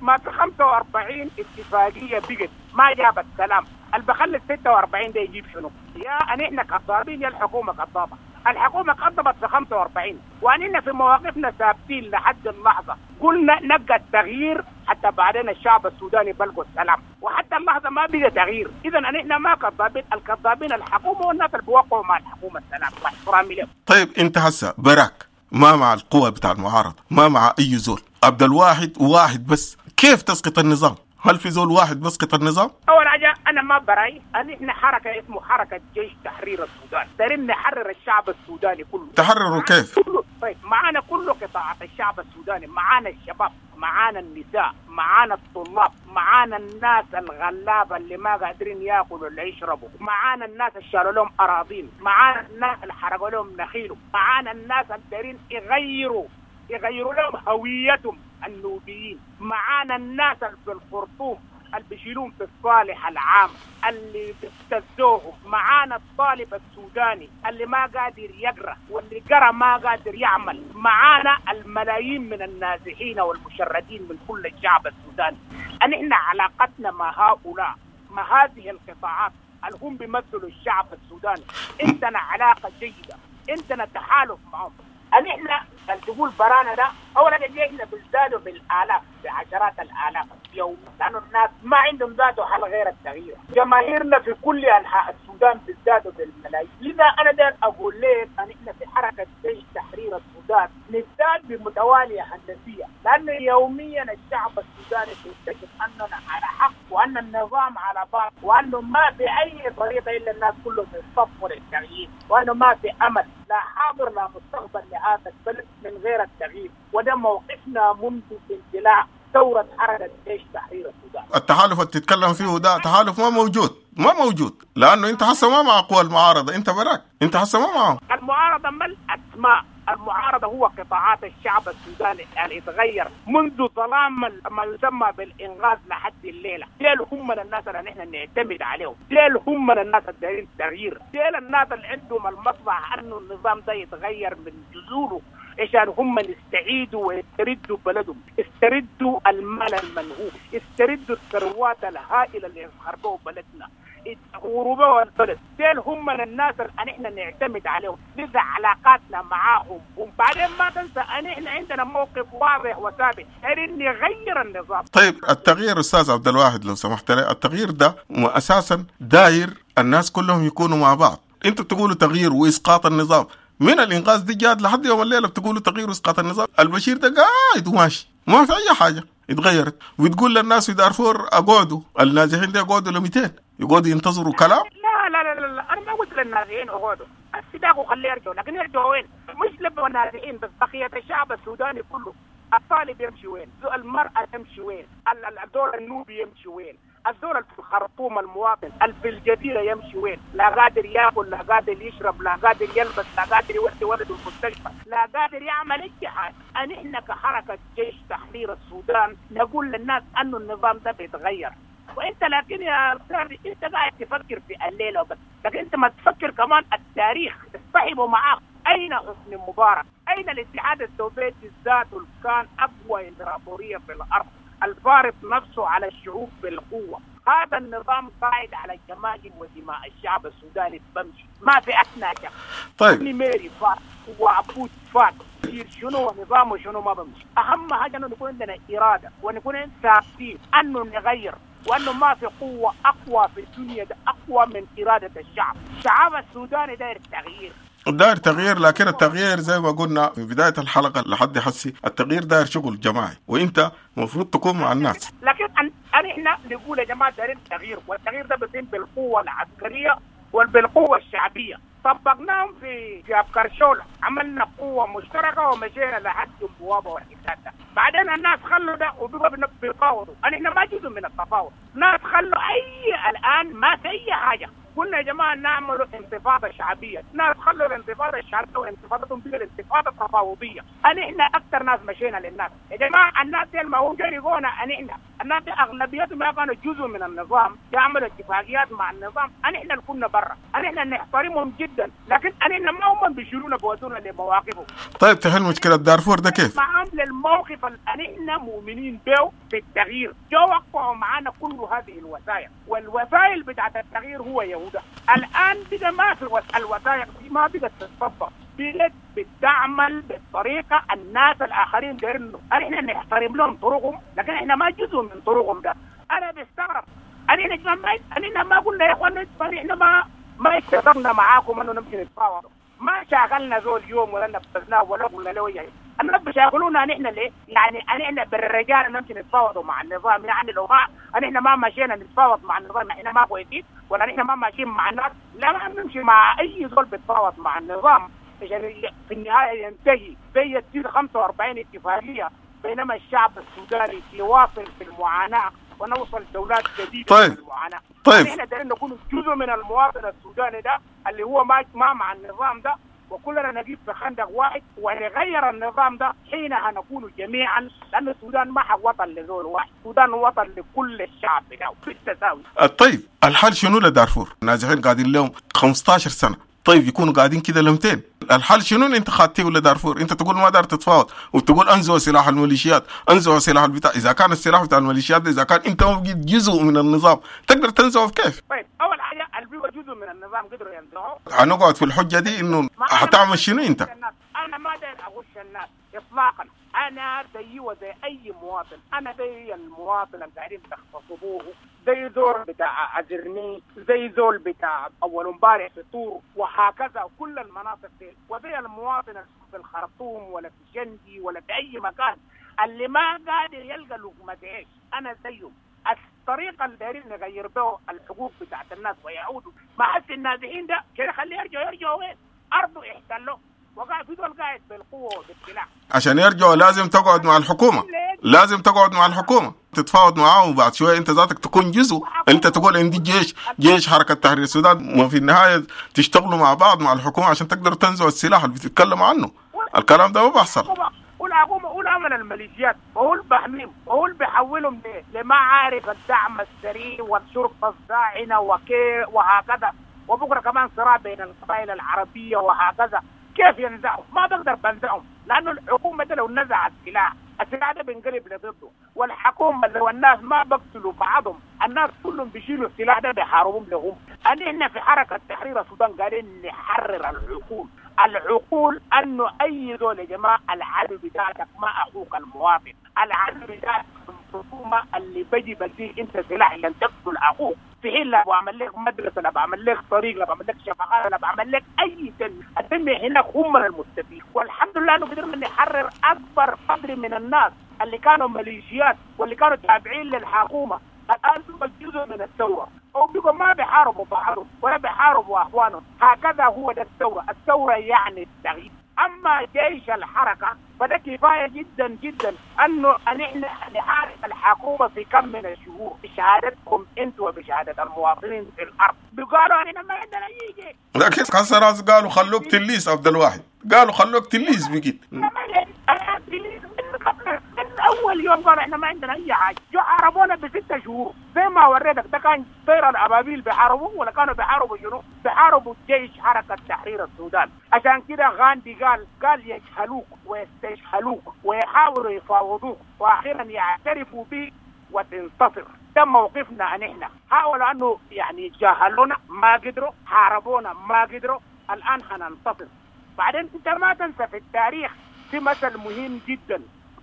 ما في 45 اتفاقية بقت ما جابت سلام. اللي بخلي 46 ده يجيب شنو؟ يا أن إحنا كذابين يا الحكومة كذابة. الحكومة كذبت في 45 وأننا في مواقفنا ثابتين لحد اللحظة. قلنا نبقى التغيير حتى بعدين الشعب السوداني بلغوا السلام، وحتى اللحظة ما بقى تغيير. إذا نحن ما كذابين، الكذابين الحكومة والناس اللي بيوقعوا مع الحكومة السلام واحترامي لهم. طيب أنت هسه براك ما مع القوة بتاع المعارضة، ما مع أي زول، عبد الواحد واحد بس، كيف تسقط النظام؟ هل في زول واحد بسقط النظام؟ أول حاجة أنا ما براي، نحن حركة اسمه حركة جيش تحرير السودان، دارين نحرر الشعب السوداني كله. تحرره كيف؟ كله. طيب معانا كل قطاعات الشعب السوداني، معانا الشباب، معانا النساء، معانا الطلاب، معانا الناس الغلابة اللي ما قادرين ياكلوا ولا يشربوا، معانا الناس اللي شالوا لهم أراضين، معانا الناس اللي حرقوا لهم نخيلهم، معانا الناس اللي دارين يغيروا لهم هويتهم. النوبيين، معانا الناس اللي في الخرطوم اللي بيشيلون في الصالح العام اللي بيبتزوهم، معانا الطالب السوداني اللي ما قادر يقرأ واللي قرأ ما قادر يعمل، معانا الملايين من النازحين والمشردين من كل الشعب السوداني. نحن علاقتنا مع هؤلاء، مع هذه القطاعات اللي هم بيمثلوا الشعب السوداني، عندنا علاقة جيدة، عندنا تحالف معهم. نحن تقول برانا ده اولا احنا بنزدادوا بالالاف، بعشرات الالاف يوم، لانه الناس ما عندهم ذاته حل غير التغيير. جماهيرنا في كل انحاء السودان بيزدادوا بالملايين. لذا انا داير اقول لك ان احنا في حركة جيش تحرير السودان نزداد بمتواليه هندسية، لانه يوميا الشعب السوداني بيكتشف اننا على حق وان النظام على باطل، وانه ما في اي طريقه الا الناس كلهم يصفوا للتغيير، وانه ما في امل لا حاضر لا مستقبل لهذا البلد من غير التغيير. وده موقفنا منذ اندلاع ثورة حركة جيش تحرير السودان. التحالف اللي تتكلم فيه ده تحالف ما موجود، ما موجود، لأنه أنت حسه ما مع قوى المعارضة، أنت براك، أنت حسه ما معهم. المعارضة ما الأسماء، المعارضة هو قطاعات الشعب السوداني اللي اتغير منذ ظلام ما يسمى بالإنغاز لحد الليلة. ديل هم من الناس اللي نحن نعتمد عليهم، ديل هم من الناس اللي دايرين تغيير، ديل الناس اللي عندهم المصلحة أنه النظام ده يتغير من جذوره عشان هم يستعيدوا ويستردوا بلدهم، يستردوا المال المنهوب، يستردوا الثروات الهائلة اللي خربوا بلدنا، غربوا البلد. ديل هم من الناس اللي نحن نعتمد عليهم، لذا علاقاتنا معاهم. وبعدين ما تنسى ان احنا عندنا موقف واضح وثابت ان نغير النظام. طيب التغيير استاذ عبد الواحد لو سمحت لي، التغيير ده اساسا داير الناس كلهم يكونوا مع بعض. انتوا بتقولوا تغيير واسقاط النظام، من الانقاذ دي جات لحد يوم الليلة بتقولوا تغيير واسقاط النظام، البشير ده قاعد وماشي ما في اي حاجة اتغيرت، وتقول للناس في دارفور اقعدوا، النازحين دي اقعدوا ل 200 يقعدوا ينتظروا كلام. لا لا لا لا، انا ما قلت للنازحين اقعدوا، السباق وخليه يرجعوا، لكن يرجعوا وين؟ مش لبوا النازحين بس، بقية الشعب السوداني كله، الطالب يمشي وين؟ المرأة تمشي وين؟ الدور النوبي يمشي وين؟ الزول في الخرطوم المواطن في الجزيرة يمشي وين؟ لا قادر ياكل، لا قادر يشرب، لا قادر يلبس، لا قادر يودي ولده المستشفى، لا قادر يعمل اي حاجة. نحن كحركة جيش تحرير السودان نقول للناس انه النظام ده بيتغير. وانت لكن يا استاذ انت قاعد تفكر في الليلة وبس، لكن انت ما تفكر كمان التاريخ، اصطحبوا معاك. اين حسني مبارك؟ اين الاتحاد السوفيتي ذاته اللي كان اقوى امبراطورية في الارض، الفارض نفسه على الشعوب بالقوة؟ هذا النظام قاعد على جماجم ودماء الشعب السوداني بمشي، ما في أثناء شك. طيب ميري فات وعبود فات، شنو نظامه شنو ما بمشي. أهم حاجة أنه نكون عندنا إرادة ونكون ثابتين أنه نغير، وأنه ما في قوة أقوى في الدنيا ده أقوى من إرادة الشعب. الشعب السوداني داير تغيير، داير تغيير، لكن التغيير زي ما قلنا في بداية الحلقة لحد حسي التغيير داير شغل جماعي، وانت المفروض تكون مع الناس. لكن احنا نقول يا جماعة دايرين تغيير، والتغيير ده بيتم بالقوة العسكرية وبالقوة الشعبية. طبقناهم في أبكرشولة، عملنا قوة مشتركة ومشينا لحد البوابة والحساب ده. بعدين الناس خلوا ده وبقوا بيفاوضوا، احنا ما جزء من التفاوض، ناس خلوا اي الآن ما في اي حاجة. قلنا يا جماعة نعمل انتفاضة شعبية، ناس خلوا الانتفاضة الشعبية وانتفاضتهم بقى الانتفاضة التفاوضية. احنا أكثر ناس مشينا للناس يا جماعة، الناس دي ما هم جريقونا، احنا الناس دي أغلبيتهم ما كانوا جزء من النظام، يعملوا اتفاقيات مع النظام، احنا اللي كنا برا، احنا نحترمهم جدا، لكن احنا ما هم بيشيلونا بودونا لمواقفهم. طيب تحل مشكلة دارفور ده كيف؟ معاهم للموقف اللي احنا مؤمنين به في التغيير، جو وقعوا معانا كل هذه الوسائل، والوسائل بتاعت التغيير هو يهودا. الآن بقى ما في الوثائق دي ما بقت تتطبق، بقت بتعمل بالطريقة الناس الآخرين دايرينه، احنا نحترم لهم طرقهم، لكن احنا ما جزء من طرقهم ده. أنا بستغرب، احنا ما قلنا يا اخوان احنا ما اتفقنا معاكم انه نمشي نتفاوض، ما شاغلنا زول يوم ولا نفذناه ولا قلنا له ايه. الناس بيشاغلونا نحن ليه؟ يعني نحن بالرجال نمشي نتفاوض مع النظام، يعني لو ما نحن ما مشينا نتفاوض مع النظام احنا ما كويسين، ولا نحن ما ماشيين مع الناس، لا ما بنمشي مع اي زول بيتفاوض مع النظام عشان في النهاية ينتهي زي تصير 45 اتفاقية، بينما الشعب السوداني يواصل في المعاناة ونوصل دولات جديدة. طيب. في المعاناة. طيب احنا دايرين نكون جزء من المواطن السوداني ده اللي هو ما مع النظام ده، وكلنا نجيب في خندق واحد ونغير النظام ده، حينها نكون جميعا، لأن السودان ما حق وطن لزول واحد، السودان وطن لكل الشعب بتاعه بالتساوي. طيب الحل شنو لدارفور؟ النازحين قاعدين لهم 15 سنة، طيب يكونوا قاعدين كده لمتين؟ الحل شنو اللي انت خاتيه لدارفور؟ انت تقول ما دار تتفاوض وتقول انزعوا سلاح الميليشيات، انزعوا سلاح البتاع، اذا كان السلاح بتاع الميليشيات اذا كان انت ما بقيت جزء من النظام تقدر تنزعه كيف؟ طيب اول حاجة اللي بيبقى جزء من النظام قدروا ينزعوه. هنقعد في الحجة دي انه هتعمل شنو انت؟ انا ما داير اغش الناس اطلاقا، انا زيي وزي اي مواطن، انا زي المواطن اللي قاعدين تغتصبوه، زي زول بتاع ازرني، زي زول بتاع اول امبارح في طور، وهكذا كل المناطق دي، وزي المواطن في الخرطوم ولا في شندي ولا في اي مكان اللي ما قادر يلقى لقمة عيش، انا زيه. الطريقة اللي دايرين نغير به الحقوق بتاعت الناس ويعودوا ما حس النازحين ده كده، خليه يرجعوا وين؟ ارضه احتلوه، وقع في دول قاعد بالقوة وبالسلاح. عشان يرجعوا لازم تقعد مع الحكومة، لازم تقعد مع الحكومة تتفاوض معاهم، وبعد شوية انت ذاتك تكون جزء، انت تقول عندي جيش حركة تحرير السودان، وفي النهاية تشتغلوا مع بعض مع الحكومة عشان تقدروا تنزعوا السلاح اللي بتتكلم عنه. الكلام ده ما بيحصل. والحكومة قول عمل الميليشيات، وهو بحميهم، وهو بيحولهم لما عارف الدعم السريع والشرطة الزاعنه وكي وهكذا، وبكره كمان صراع بين القبائل العربية وهكذا. كيف ينزعهم؟ ما بقدر بنزعهم، لانه الحكومة ده لو نزع السلاح، السلاح ده بينقلب لضده، والحكومة لو الناس ما بقتلوا بعضهم، الناس كلهم بيشيلوا السلاح ده بيحاربهم لهم. احنا في حركة تحرير السودان قاعدين نحرر العقول، العقول انه اي زول يا جماعة العدو بتاعتك ما اخوك المواطن، العدو بتاعتك الحكومة اللي بيجي بديك انت سلاح عشان تقتل اخوك، في حين لا بعمل لك مدرسه، لا بعمل لك طريق، لا بعمل لك شفقات، لا بعمل لك اي تنمية، التنمية هناك هم المستفيد. والحمد لله انه قدرنا نحرر اكبر قدر من الناس اللي كانوا ميليشيات واللي كانوا تابعين للحكومة، الان هم جزء من الثورة، او بيقوا ما بيحاربوا بعضهم ولا بيحاربوا اخوانهم. هكذا هو ده الثورة، الثورة يعني التغيير. اما جيش الحركة فده كفاية جدا جدا انه نحن نحارب الحكومة في كم من الشهور بشهادتكم انتم وبشهاده المواطنين في الارض. بيقالوا احنا ما عندنا اي جيش، لكن كسر قالوا خلوك تليس عبد الواحد، قالوا خلوك تليس بقيت من اول يوم قالوا احنا ما عندنا اي حاجة، جو حاربونا ب6 شهور زي ما وريتك. ده كان طير الابابيل بيحاربوا ولا كانوا بيحاربوا شنو؟ بيحاربوا جيش حركة تحرير السودان. عشان كده غاندي قال يجهلوك ويستجهلوك ويحاولوا يفاوضوك واخيرا يعترفوا بك وتنتصر. ده موقفنا ان احنا حاولوا انه يعني يتجاهلونا ما قدروا، حاربونا ما قدروا، الان حننتصر. بعدين انت ما تنسى في التاريخ في مثل مهم جدا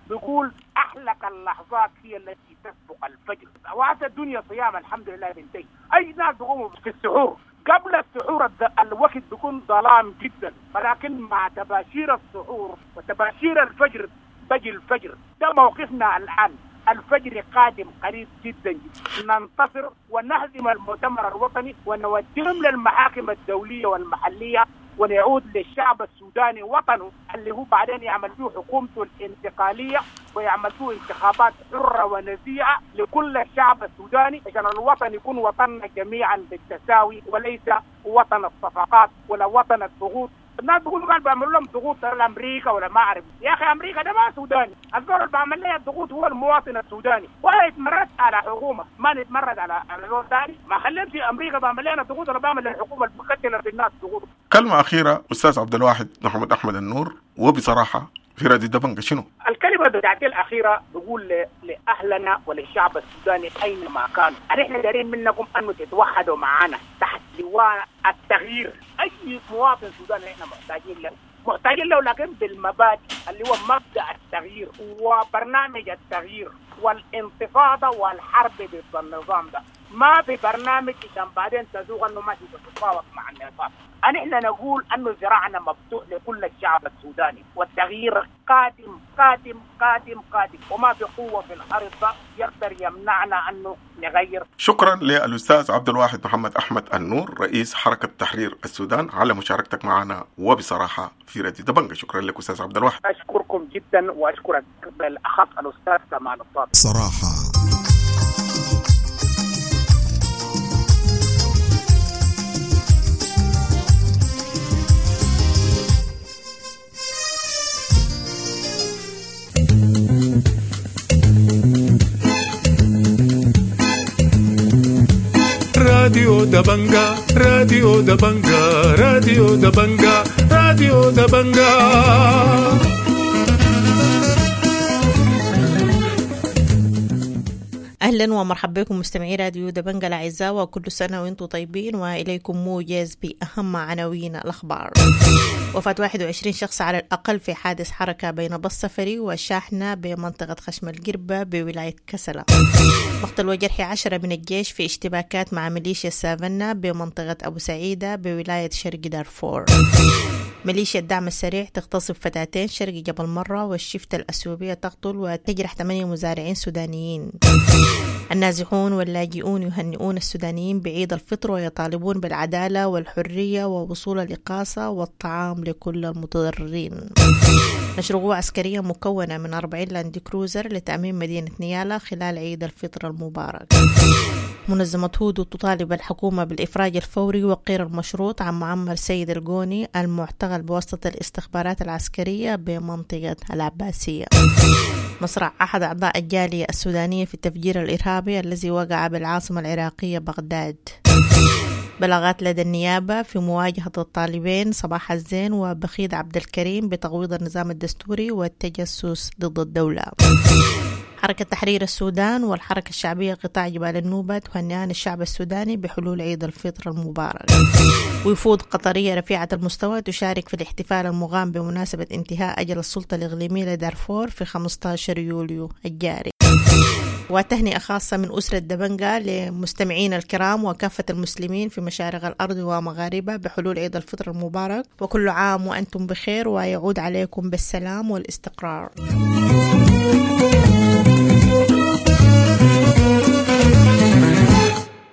بيقول أحلك اللحظات هي التي تسبق الفجر. وقت الدنيا صيام الحمد لله بنتهي، أي ناس بيقوموا في السحور، قبل السحور الوقت بيكون ظلام جدا، ولكن مع تباشير السحور وتباشير الفجر بجي الفجر. ده موقفنا الآن، الفجر قادم قريب جدا جدا، ننتصر ونهزم المؤتمر الوطني ونوديهم للمحاكم الدولية والمحلية، ونعود للشعب السوداني وطنه اللي هو بعدين يعمل فيه حكومته الانتقالية ويعمل فيه انتخابات حرة ونزيهة لكل الشعب السوداني، عشان الوطن يكون وطننا جميعا بالتساوي وليس وطن الصفقات ولا وطن الضغوط. الناس بيقولوا قال بيعملوا لهم ضغوط لامريكا ولا ما اعرف، يا اخي امريكا ده ما سوداني، الزول اللي بعمل لها الضغوط هو المواطن السوداني، ولا يتمرد على حكومة، ما نتمرد على زول ثاني، ما خلينا في امريكا بعمل لنا ضغوط ولا بعمل للحكومة اللي بتقتل في الناس ضغوط. كلمة اخيرة استاذ عبد الواحد محمد احمد النور، وبصراحة في راديو دبنجة شنو؟ الكلمة بتاعتي الأخيرة بقول لأهلنا وللشعب السوداني أينما كانوا، نحن دارين منكم أنه تتوحدوا معنا تحت لواء التغيير. أي مواطن سوداني نحن محتاجين له، محتاجين له لكن بالمبادئ اللي هو مبدأ التغيير وبرنامج التغيير والانتفاضة والحرب ضد النظام ده. ما في برنامج عشان بعدين تزوغ انه ما تتفاوض مع النظام. نحن نقول انه ذراعنا مفتوح لكل الشعب السوداني، والتغيير قادم قادم قادم قادم، وما في قوة في الارض يقدر يمنعنا انه نغير. شكرا للاستاذ عبد الواحد محمد احمد النور رئيس حركة تحرير السودان على مشاركتك معنا وبصراحة في راديو دبنجة. شكرا لك استاذ عبد الواحد. اشكركم جدا واشكرك بالاخص الاستاذ كمال الصادق. صراحة راديو دبنجا، راديو دبنجا، راديو دبنجا، راديو دبنجا. أهلا ومرحبا بكم مستمعي راديو دبنجا الأعزاء، وكل سنة وأنتم طيبين. وإليكم موجز بأهم عناوين الأخبار. وفاة 21 شخص على الأقل في حادث حركة بين باص سفري وشاحنة بمنطقة خشم القربة بولاية كسلة. مقتل وجرح 10 من الجيش في اشتباكات مع ميليشيا السافنة بمنطقة أبو سعيدة بولاية شرق دارفور. ميليشيا الدعم السريع تغتصب فتاتين شرق جبل مرة، والشفتة الأثيوبية تقتل وتجرح 8 مزارعين سودانيين. النازحون واللاجئون يهنئون السودانيين بعيد الفطر ويطالبون بالعدالة والحرية ووصول الإقاصة والطعام لكل المتضررين. نشر قوة عسكرية مكونة من 40 لاند كروزر لتأمين مدينة نيالا خلال عيد الفطر المبارك. منظمة هودو تطالب الحكومة بالإفراج الفوري وغير المشروط عن معمر سيد الجوني المعتقل بواسطة الاستخبارات العسكرية بمنطقة العباسية. مصرع أحد أعضاء الجالية السودانية في التفجير الإرهابي الذي وقع بالعاصمة العراقية بغداد. بلاغات لدى النيابة في مواجهة الطالبين صباح الزين وبخيت عبد الكريم بتقويض النظام الدستوري والتجسس ضد الدولة. حركة تحرير السودان والحركة الشعبية قطاع جبال النوبة تهنئان الشعب السوداني بحلول عيد الفطر المبارك. وفود قطرية رفيعة المستوى تشارك في الاحتفال المقام بمناسبة انتهاء أجل السلطة الإقليمية لدارفور في 15 يوليو الجاري. وتهنئة خاصة من أسرة دبنجا لمستمعين الكرام وكافة المسلمين في مشارق الأرض ومغاربها بحلول عيد الفطر المبارك، وكل عام وأنتم بخير ويعود عليكم بالسلام والاستقرار.